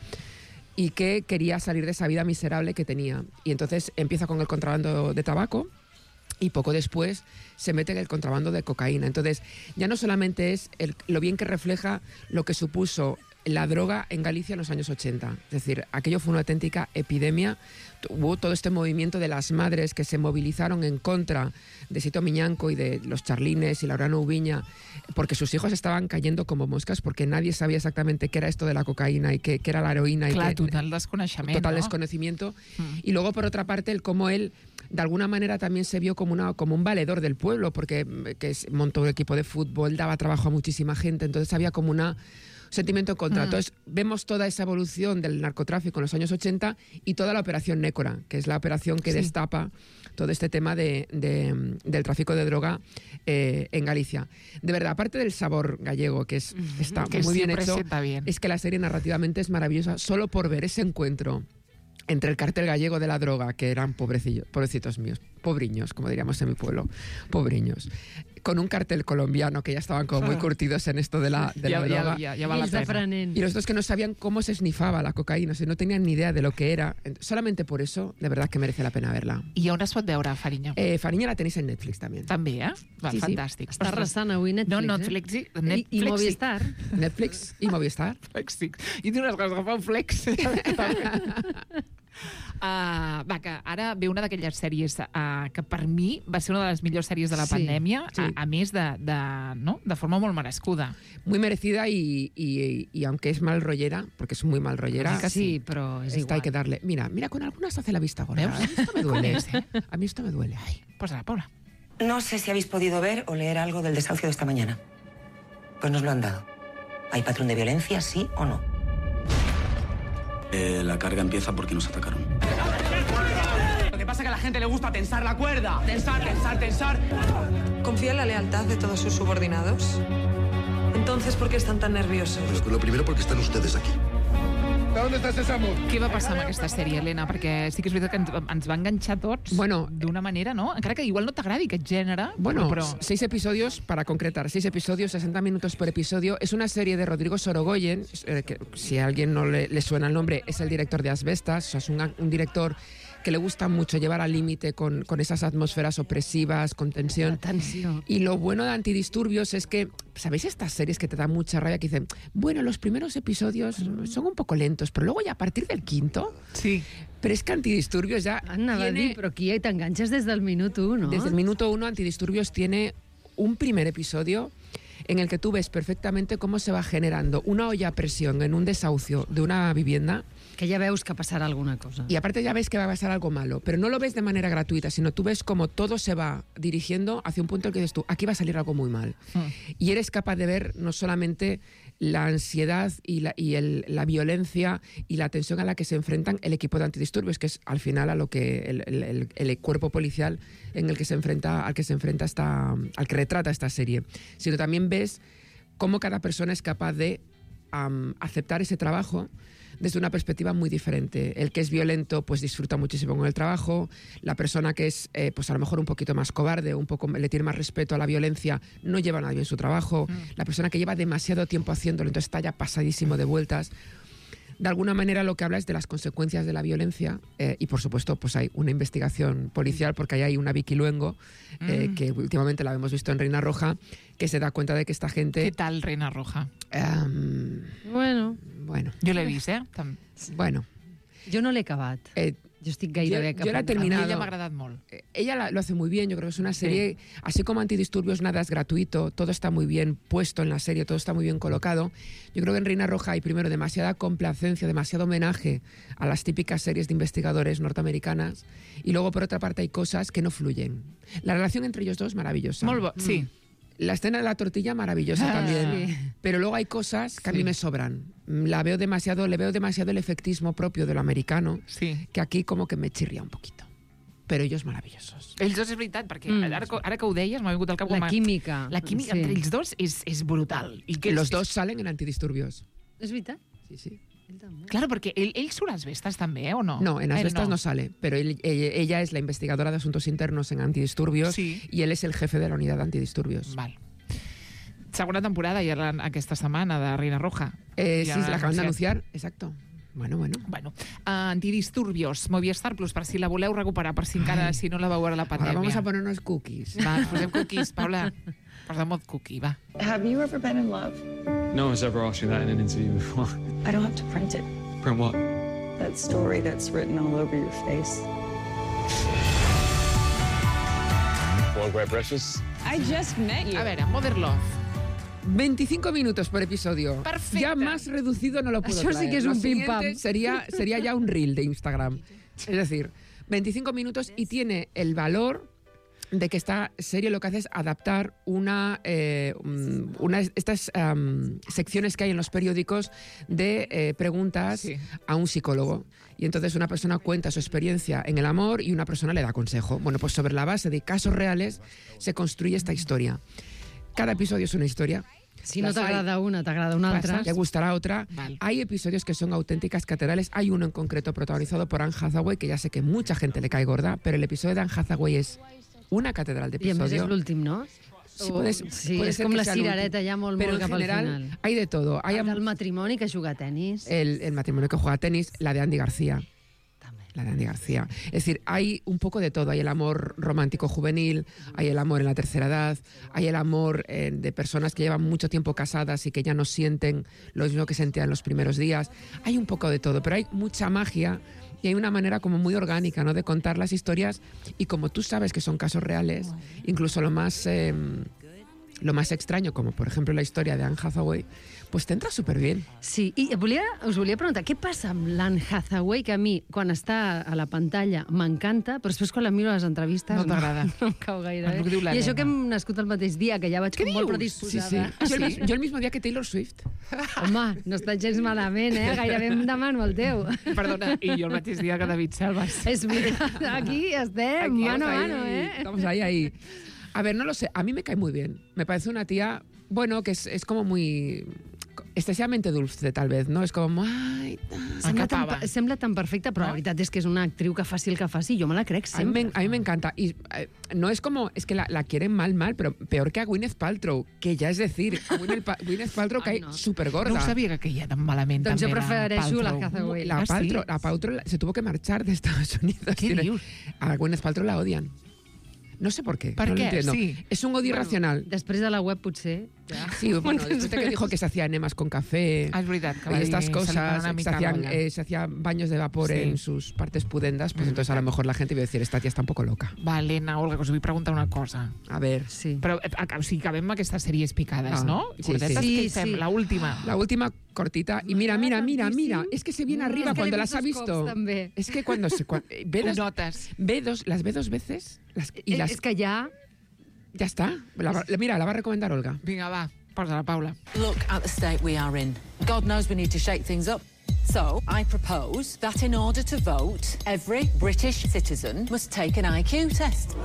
y que quería salir de esa vida miserable que tenía. Y entonces empieza con el contrabando de tabaco, y poco después se mete en el contrabando de cocaína. Entonces, ya no solamente es el, lo bien que refleja lo que supuso la droga en Galicia en los años ochenta. Es decir, aquello fue una auténtica epidemia. Hubo todo este movimiento de las madres que se movilizaron en contra de Sito Miñanco y de los Charlines y Laureano Ubiña, porque sus hijos estaban cayendo como moscas, porque nadie sabía exactamente qué era esto de la cocaína y qué, qué era la heroína. Clar, y que, total desconeixement, total no? desconocimiento. Mm. Y luego, por otra parte, el cómo él, de alguna manera, también se vio como, una, como un valedor del pueblo, porque mm, que es- montó un equipo de fútbol, daba trabajo a muchísima gente, entonces había como una sentimiento en contra. Mm. Entonces, vemos toda esa evolución del narcotráfico en los años ochenta y toda la operación Nécora, que es la operación que Sí. destapa todo este tema de, de- del tráfico de droga eh, en Galicia. De verdad, aparte del sabor gallego, que es, está Que muy bien siempre hecho, sienta bien. es que la serie narrativamente es maravillosa solo por ver ese encuentro entre el cartel gallego de la droga, que eran pobrecillos, pobrecitos míos, pobriños, como diríamos en mi pueblo, pobriños, con un cartel colombiano que ya estaban como muy Ah. curtidos en esto de la, de Ya- la ya- droga. ya- ya va la I els de pena. Franent. Y los dos que no sabían cómo se esnifaba la cocaína, o sea, no tenían ni idea de lo que era. Solamente por eso, de verdad que merece la pena verla. I on es pot veure, Farinya? Eh, Fariña la tenéis en Netflix también. També, eh? Va, Sí, sí. fantàstic. Està Ostres. arrasant avui Netflix, No, no, eh? Netflix, i, I, Netflix, I Movistar. Netflix i Movistar. Flexic. I té unes coses que fa un flex. Uh, va, que ara ve una d'aquelles sèries uh, que per mi va ser una de les millors sèries de la Sí, pandèmia, sí. A, a més de, de, no? de forma molt merescuda. Muy merecida y, y, y aunque es mal rollera, porque es muy mal rollera, Sí, sí, però és esta igual. hay que darle. Mira, mira, con algunas hace la vista gorda. ¿Veus? A mí esto me duele. Com és, eh? A mí esto me duele. Pues a la Paula. No sé si habéis podido ver o leer algo del desahucio de esta mañana. Pues nos lo han dado. ¿Hay patrón de violencia, sí o no? Eh, la carga empieza porque nos atacaron. Lo que pasa es que a la gente le gusta tensar la cuerda. Tensar, tensar, tensar. ¿Confía en la lealtad de todos sus subordinados? Entonces, ¿por qué están tan nerviosos? Pues lo primero porque están ustedes aquí. ¿Dónde está ese amor? Què va passar amb aquesta sèrie, Helena? Perquè sí que és veritat que ens, ens va enganxar tots Bueno, d'una manera, no? Encara que igual no t'agradi aquest gènere, Bueno, però... seis episodios, para concretar, seis episodios, sesenta minutos por episodio. Es una serie de Rodrigo Sorogoyen, eh, que si a alguien no le, le suena el nombre, es el director de Asbestas, o sea, es un, un director que le gusta mucho llevar al límite con, con esas atmósferas opresivas, con tensión. Tensió. Y lo bueno de Antidisturbios es que, ¿sabéis estas series que te dan mucha rabia? Que dicen, bueno, los primeros episodios son un poco lentos, pero luego ya a partir del quinto... Sí. Pero es que Antidisturbios ya Anava a tiene... dir, però aquí t'enganxes des del minut u, no? Desde el minuto uno, Antidisturbios tiene un primer episodio en el que tú ves perfectamente cómo se va generando una olla a presión en un desahucio de una vivienda. Que ja veus que passarà alguna cosa. Y aparte ya ves que va a pasar algo malo, pero no lo ves de manera gratuita, sino tú ves cómo todo se va dirigiendo hacia un punto en el que dices tú, aquí va a salir algo muy mal. Y eres capaz de ver no solamente la ansiedad y, la, y el, la violencia y la tensión a la que se enfrentan el equipo de Antidisturbios, que es al final a lo que el, el- el- el cuerpo policial en el que se enfrenta, al que se enfrenta esta, al que retrata esta serie, sino también ves cómo cada persona es capaz de am, aceptar ese trabajo desde una perspectiva muy diferente. El que es violento pues disfruta muchísimo con el trabajo, la persona que es eh, pues a lo mejor un poquito más cobarde, un poco le tiene más respeto a la violencia, no lleva nada bien su trabajo, la persona que lleva demasiado tiempo haciéndolo, entonces está ya pasadísimo de vueltas. De alguna manera lo que habla es de las consecuencias de la violencia eh, y por supuesto pues hay una investigación policial porque ahí hay una Vicky Luengo eh, Mm. que últimamente la hemos visto en Reina Roja, que se da cuenta de que esta gente... Què tal, Reina Roja? Um, Bueno. Bueno. Jo l'he vist, eh? Tam- Bueno. Jo no l'he acabat. Eh, jo estic gairebé yo, yo la he cap- terminado. A mi ella m'ha agradat molt. Eh, Ella la- lo hace muy bien, yo creo que es una serie, así como Antidisturbios nada es gratuito, todo está muy bien puesto en la serie, todo está muy bien colocado. Yo creo que en Reina Roja hay primero demasiada complacencia, demasiado homenaje a las típicas series de investigadores norteamericanas y luego por otra parte hay cosas que no fluyen. La relación entre ellos dos maravillosa. Molt bo, sí. La escena de la tortilla maravillosa Ah, también, sí. pero luego hay cosas que a mí Sí. me sobran. La veo demasiado, le veo demasiado el efectismo propio de lo americano, Sí. que aquí como que me chirria un poquito. Pero ellos maravillosos. Ells dos és veritat, perquè Mm. ara, que- ara que ho deies m'ha vingut al cap... La com a- química. La química Sí. entre ells dos és, és brutal. I Que los dos salen en Antidisturbios. És veritat? Sí, sí. Claro, porque él, él surt a Asbestas també, ¿o no? No, en Asbestas Él no. no sale, pero él, ella, ella es la investigadora de asuntos internos en antidisturbios sí. y él es el jefe de la unidad de antidisturbios. Val. Segona temporada ja aquesta setmana de Reina Roja. Eh, ja sí, la acaban de anunciar, exacto. Bueno, bueno. bueno uh, Antidisturbios, Movistar Plus, per si la voleu recuperar, per si encara, Ai. si no la vau veure la pandèmia. Ahora vamos a poner unos cookies. Va, posem cookies, Paula. Posem mod cookie, va. Have you ever been in love? No one's ever asked you that in an interview before. I don't have to print it. Print what? That story that's written all over your face. Want great breakfast? I just met you. A veure, Modern Love. veinticinco minutos por episodio. Perfecte. Ya más reducido no lo puedo Això traer. sí que és un pim-pam. Sería, sería ya un reel de Instagram. Es decir, veinticinco minutos y tiene el valor de que esta serie lo que hace es adaptar una, eh, una estas um, secciones que hay en los periódicos de eh, preguntas sí. a un psicólogo. Y entonces una persona cuenta su experiencia en el amor y una persona le da consejo. Bueno, pues sobre la base de casos reales se construye esta historia. Cada episodio es una historia. Si no t'agrada una, t'agrada una altra. Te gustará otra. Vale. Hay episodios que son auténticas catedrales. Hay uno en concreto protagonizado por Anne Hathaway, que ya sé que mucha gente le cae gorda, pero el episodio de Anne Hathaway es una catedral de episodio. I a més és l'últim, no? Sí, puedes, sí puede és ser com que la sea cirereta ja molt, pero molt cap en general, al final. Hay de todo. Hay el matrimoni que juga a tenis. El, el matrimonio que juega a tenis, la de Andy García. La de Andy García. Es decir, hay un poco de todo. Hay el amor romántico juvenil, hay el amor en la tercera edad, hay el amor eh, de personas que llevan mucho tiempo casadas y que ya no sienten lo mismo que sentían en los primeros días. Hay un poco de todo, pero hay mucha magia y hay una manera como muy orgánica, ¿no?, de contar las historias, y como tú sabes que son casos reales, incluso lo más... Eh, lo más extraño, como por ejemplo la historia de Anne Hathaway, pues te entra súper bien. Sí, i volia, us volia preguntar, què passa amb l'Anne Hathaway, que a mi, quan està a la pantalla, m'encanta, però després quan la miro a les entrevistes no t'agrada. No, no em cau gaire bé. I això que hem nascut el mateix dia, que ja vaig com molt predisposada. Sí, sí. Ah, jo, el, jo el mismo dia que Taylor Swift. Home, no està gens malament, eh? Gairebé em demano el teu. Perdona, i jo el mateix dia que David Selvas. És veritat, aquí estem, aquí mano a ahí, mano, eh? Estamos ahí, ahí. A ver, no lo sé, a mí me cae muy bien. Me parece una tía, bueno, que es, es como muy... excessivamente dulce, tal vez, no? És com... Ai, sembla, tan, sembla tan perfecta, però no? La veritat és que és una actriu que faci el que faci, jo me la crec sempre. A mí me encanta. Y eh, no es como... Es que la, la quieren mal, mal, pero peor que a Gwyneth Paltrow, que ya es decir, a Gwyneth, pa Gwyneth Paltrow cae no. súper gorda. No ho sabia que ella tan malament doncs també jo prefereixo la Hathaway. La, ah, Paltrow, sí? la Paltrow se tuvo que marchar de Estados Unidos. ¿Qué dius? A Gwyneth Paltrow la odian. No sé por qué. ¿Por no qué? Lo entiendo. Sí. Es un odio bueno, irracional. Després de la web, potser... Ja. Sí, bueno, después de que dijo que se hacía enemas con café ah, es verdad, que y estas cosas, se, se hacían, eh, se hacían baños de vapor sí. en sus partes pudendas, pues entonces a lo mejor la gente iba a decir, esta tía está un poco loca. Va, Elena, Olga, que us vull preguntar una cosa. A ver. Sí. Però, o sigui, acabem amb aquestes sèries picades, ah, no? Sí, sí. Sí, sí. La última. La última cortita. Y mira, mira, mira, mira. Es que se viene arriba es que cuando las ha visto. Es que cuando se... Cuando, ve, dos, notas. ve dos, las ve dos veces. Las, y las, es que ya... Ya está. La, mira, la va a recomendar Olga. Vinga, va. Posa la Paula. Look at the state we are in. God knows we need to shake things up. So, I propose that in order to vote, every British citizen must take an I Q test.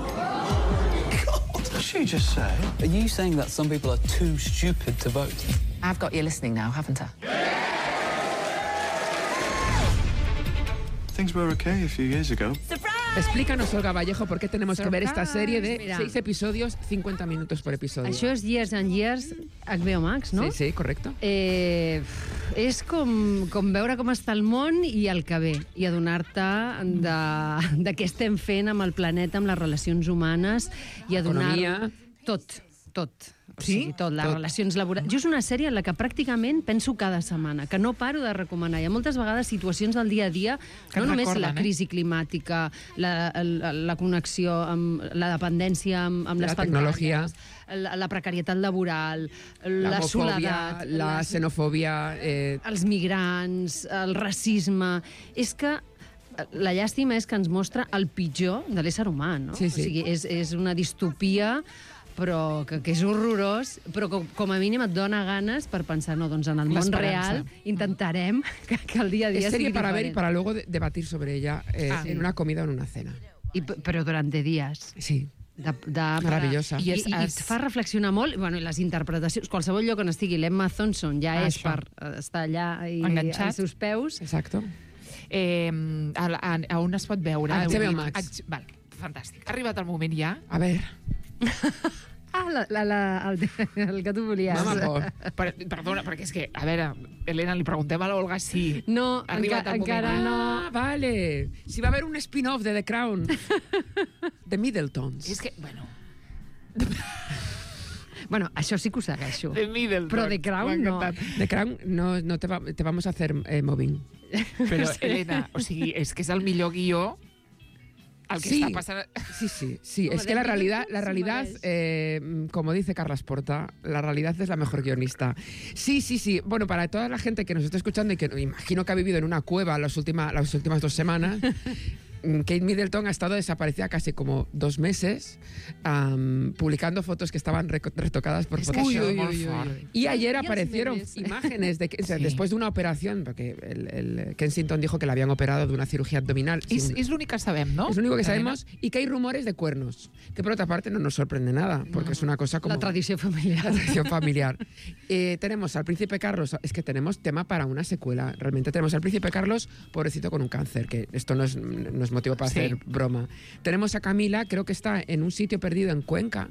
What did she just say? Are you saying that some people are too stupid to vote? I've got you listening now, haven't I? Things were okay a few years ago. Surprise! Explícanos, Olga Vallejo, por qué tenemos Surprise! que ver esta serie de Mira. seis episodios, cincuenta minutos por episodio. Això és Years and Years H B O Max, no? Sí, sí, correcto. Eh, és com, com veure com està el món i el que ve, i adonar-te de, de què estem fent amb el planeta, amb les relacions humanes, i adonar... Economia. Tot, tot. O Sí? sigui, tot, les Tot. relacions laborals. Jo és una sèrie en la que pràcticament penso cada setmana, que no paro de recomanar. Hi ha moltes vegades situacions del dia a dia, Que no et només recorden, la eh? crisi climàtica, la, la, la connexió amb la dependència amb, amb La les tecnologia. pantalles, la, la precarietat laboral, la, La soledat, homofobia, la les- xenofobia... Eh, els migrants, el racisme... És que la llàstima és que ens mostra el pitjor de l'ésser humà, no? Sí, sí. O sigui, és, és una distopia però que, que és horrorós, però com, com a mínim et dona ganes per pensar, no, doncs en el món L'esperança. real intentarem que, que el dia a dia es serie sigui para ver y diferent. para luego de- debatir sobre ella eh, Ah. en una comida o en una cena. I, p- però durant días. Sí. De, de, Meravellosa. I, i, i et fa reflexionar molt, bueno, i les interpretacions, qualsevol lloc on estigui l'Emma Thompson ja Ah, és això. per estar allà i Enganxat. als seus peus. Exacto. Eh, a, a, a on es pot veure? A H B O Vull dir, Max. H- Val, fantàstic. Ha arribat el moment ja. A ver. Ah, la, la, la, el, el que tu volies. Mama por. Per, perdona, perquè és que, a veure, Helena, li preguntem a l'Olga si No, ha arribat enca, el encara moment. no. Ah, vale. Si va a haver un spin-off de The Crown. De Middletons. És que, bueno, Bueno, això sí que ho segueixo. de Middleton. Però The Crown no. The Crown no, no te, va, te vamos a hacer eh, mobbing. Però, Sí. Helena, o sigui, és que és el millor guió el que Sí. està passant... Sí, sí, sí. Home, Es que la de realidad, Middleton la se realidad, mereix. eh, como dice Carlas Porta, la realidad es la mejor guionista. Sí, sí, sí. Bueno, para toda la gente que nos está escuchando y que imagino que ha vivido en una cueva las últimas, las últimas dos semanas, Kate Middleton ha estado desaparecida casi como dos meses, um, publicando fotos que estaban reco- retocadas por És que Photoshop. això és molt fort. Y ayer Y los aparecieron memes. imágenes de que, o sea, Sí. después de una operación, porque el, el Kensington dijo que le habían operado de una cirugía abdominal. És, sin- és l'únic que sabem, no? es lo único que Helena? sabemos, y que hay rumores de cuernos, que por otra parte no nos sorprende nada, porque es una cosa como La tradició familiar. la tradición familiar. Eh, tenemos al príncipe Carlos, es que tenemos tema para una secuela, realmente tenemos al príncipe Carlos, pobrecito con un cáncer, que esto no es, no es motivo para Sí. hacer broma. Tenemos a Camila, creo que está en un sitio perdido en Cuenca.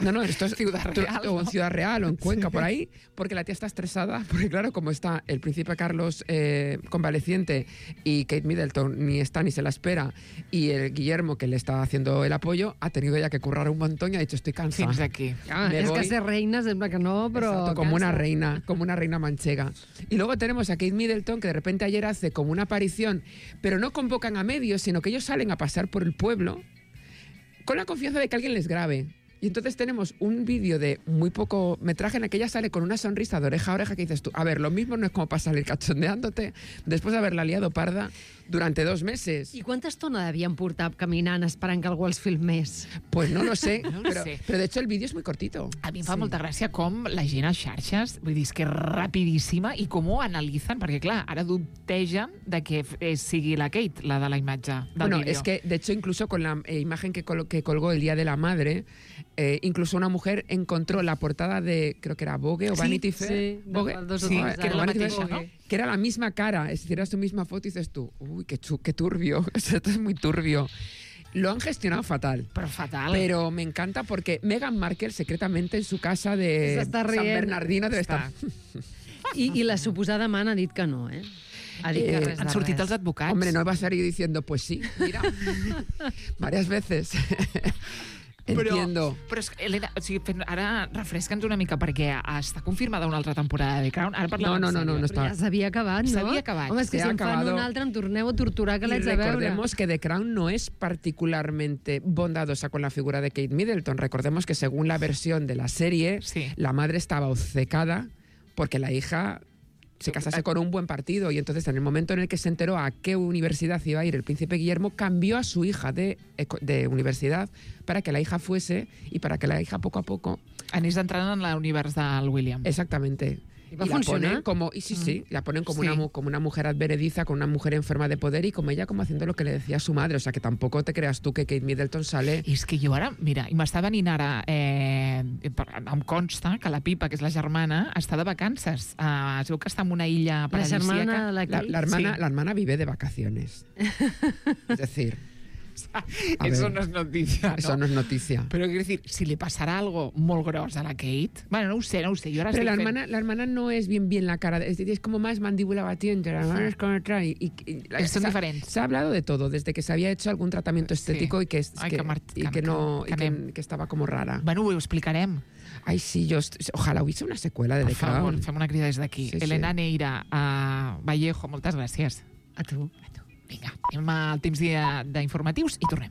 No, no, esto es Ciudad Real, o en ¿no? Ciudad Real o en Cuenca, por ahí, porque la tía está estresada, porque claro, como está el príncipe Carlos eh, convaleciente y Kate Middleton ni está ni se la espera, y el Guillermo que le está haciendo el apoyo, ha tenido ya que currar un montón y ha dicho estoy cansada. Fins aquí. Ah, Me és voy. que ser reina sembla que no, però... Exacto, como cansa. una reina, como una reina manchega. Y luego tenemos a Kate Middleton, que de repente ayer hace como una aparición, pero no convocan a medios, sino que ellos salen a pasar por el pueblo con la confianza de que alguien les grabe. Y entonces tenemos un vídeo de muy poco metraje en el que ella sale con una sonrisa de oreja a oreja que dices tú, a ver, lo mismo no es como para salir cachondeándote después de haberla liado parda durante dos meses. I quanta estona devien portar caminant esperant que algú els filmés? Pues no lo sé, No lo pero, sé. pero de hecho el vídeo es muy cortito. A mi em fa molta gràcia com la gent a xarxes, vull dir, és que és rapidíssima i com ho analitzen, perquè clar, ara dubtegen de que eh, sigui la Kate, la de la imatge del Bueno, vídeo. es que de hecho incluso con la eh, imagen que, col- que colgó el Día de la Madre, eh, incluso una mujer encontró la portada de, creo que era Vogue o Sí, Vanity Fair. sí, Vogue, de- dos o Sí, tres que era la Vanity mateixa, Fair, no? que era la misma cara, es decir, era su misma foto y dices tú, uy, qué, chu- qué turbio, esto es muy turbio. Lo han gestionado fatal. Però fatal. Pero me encanta porque Meghan Markle secretamente en su casa de S'està San rient. Bernardino debe Està. estar. I, I la suposada mana ha dit que no, eh? Ha dit que Eh, res de Han sortit res. els advocats. Hombre, no va a salir diciendo, pues sí, mira, varias veces. Entiendo. Però, però és que, Helena, o sigui, fent- ara refresca'ns una mica perquè està confirmada una altra temporada de Crown. Ara parlem No, no, en no, no, sèrio. no Però ja s'havia acabat, no? S'havia acabat. Home, és que Se si ha em fan acabado. un altre em torneu a torturar que Y l'haig de veure. recordemos que The Crown no es particularmente bondadosa con la figura de Kate Middleton. Recordemos que según la versión de la serie, Sí. la madre estaba obcecada porque la hija se casase con un buen partido y entonces en el momento en el que se enteró a qué universidad iba a ir el príncipe Guillermo, cambió a su hija de, eco- de universidad para que la hija fuese y para que la hija poco a poco... Anés entrant en l'univers del William. Exactamente. ¿Y va a la funcionar? ponen como, y sí, sí, la ponen como, Sí. una, mu- como una mujer advenediza, con una mujer enferma de poder y como ella como haciendo lo que le decía a su madre. O sea, que tampoco te creas tú que Kate Middleton sale... I és que jo ara, mira, i m'està venint ara, eh, per- em consta que la Pipa, que és la germana, està de vacances. Uh, es veu que està en una illa La paradisíaca. germana, la La, Kate. la hermana, Sí. la hermana vive de vacaciones. Es decir, a Eso ver, no es noticia, ¿no? eso no es noticia. Però, quiero decir, si li passarà algo molt gros a la Kate... Bueno, no ho sé, no ho sé. Jo ara Pero estic la fent- hermana, la hermana no es bien bien la cara, es, es como más mandíbula batiente, la hermana es como otra y, y- y la- Son se ha- diferentes. Se ha hablado de todo, desde que se había hecho algún tratamiento estético Sí. y que, es- Ai, que, que mar- y que- que no que y que, anem. que estaba como rara. Bueno, ho explicarem. Ay, sí, yo est- ojalá hubiese una secuela de Per The favor, Crown. fem una crida des d'aquí. Sí, sí. Elena Neira, a Vallejo, moltes gràcies. A tu. Vinga, anem al temps de- d'informatius i tornem.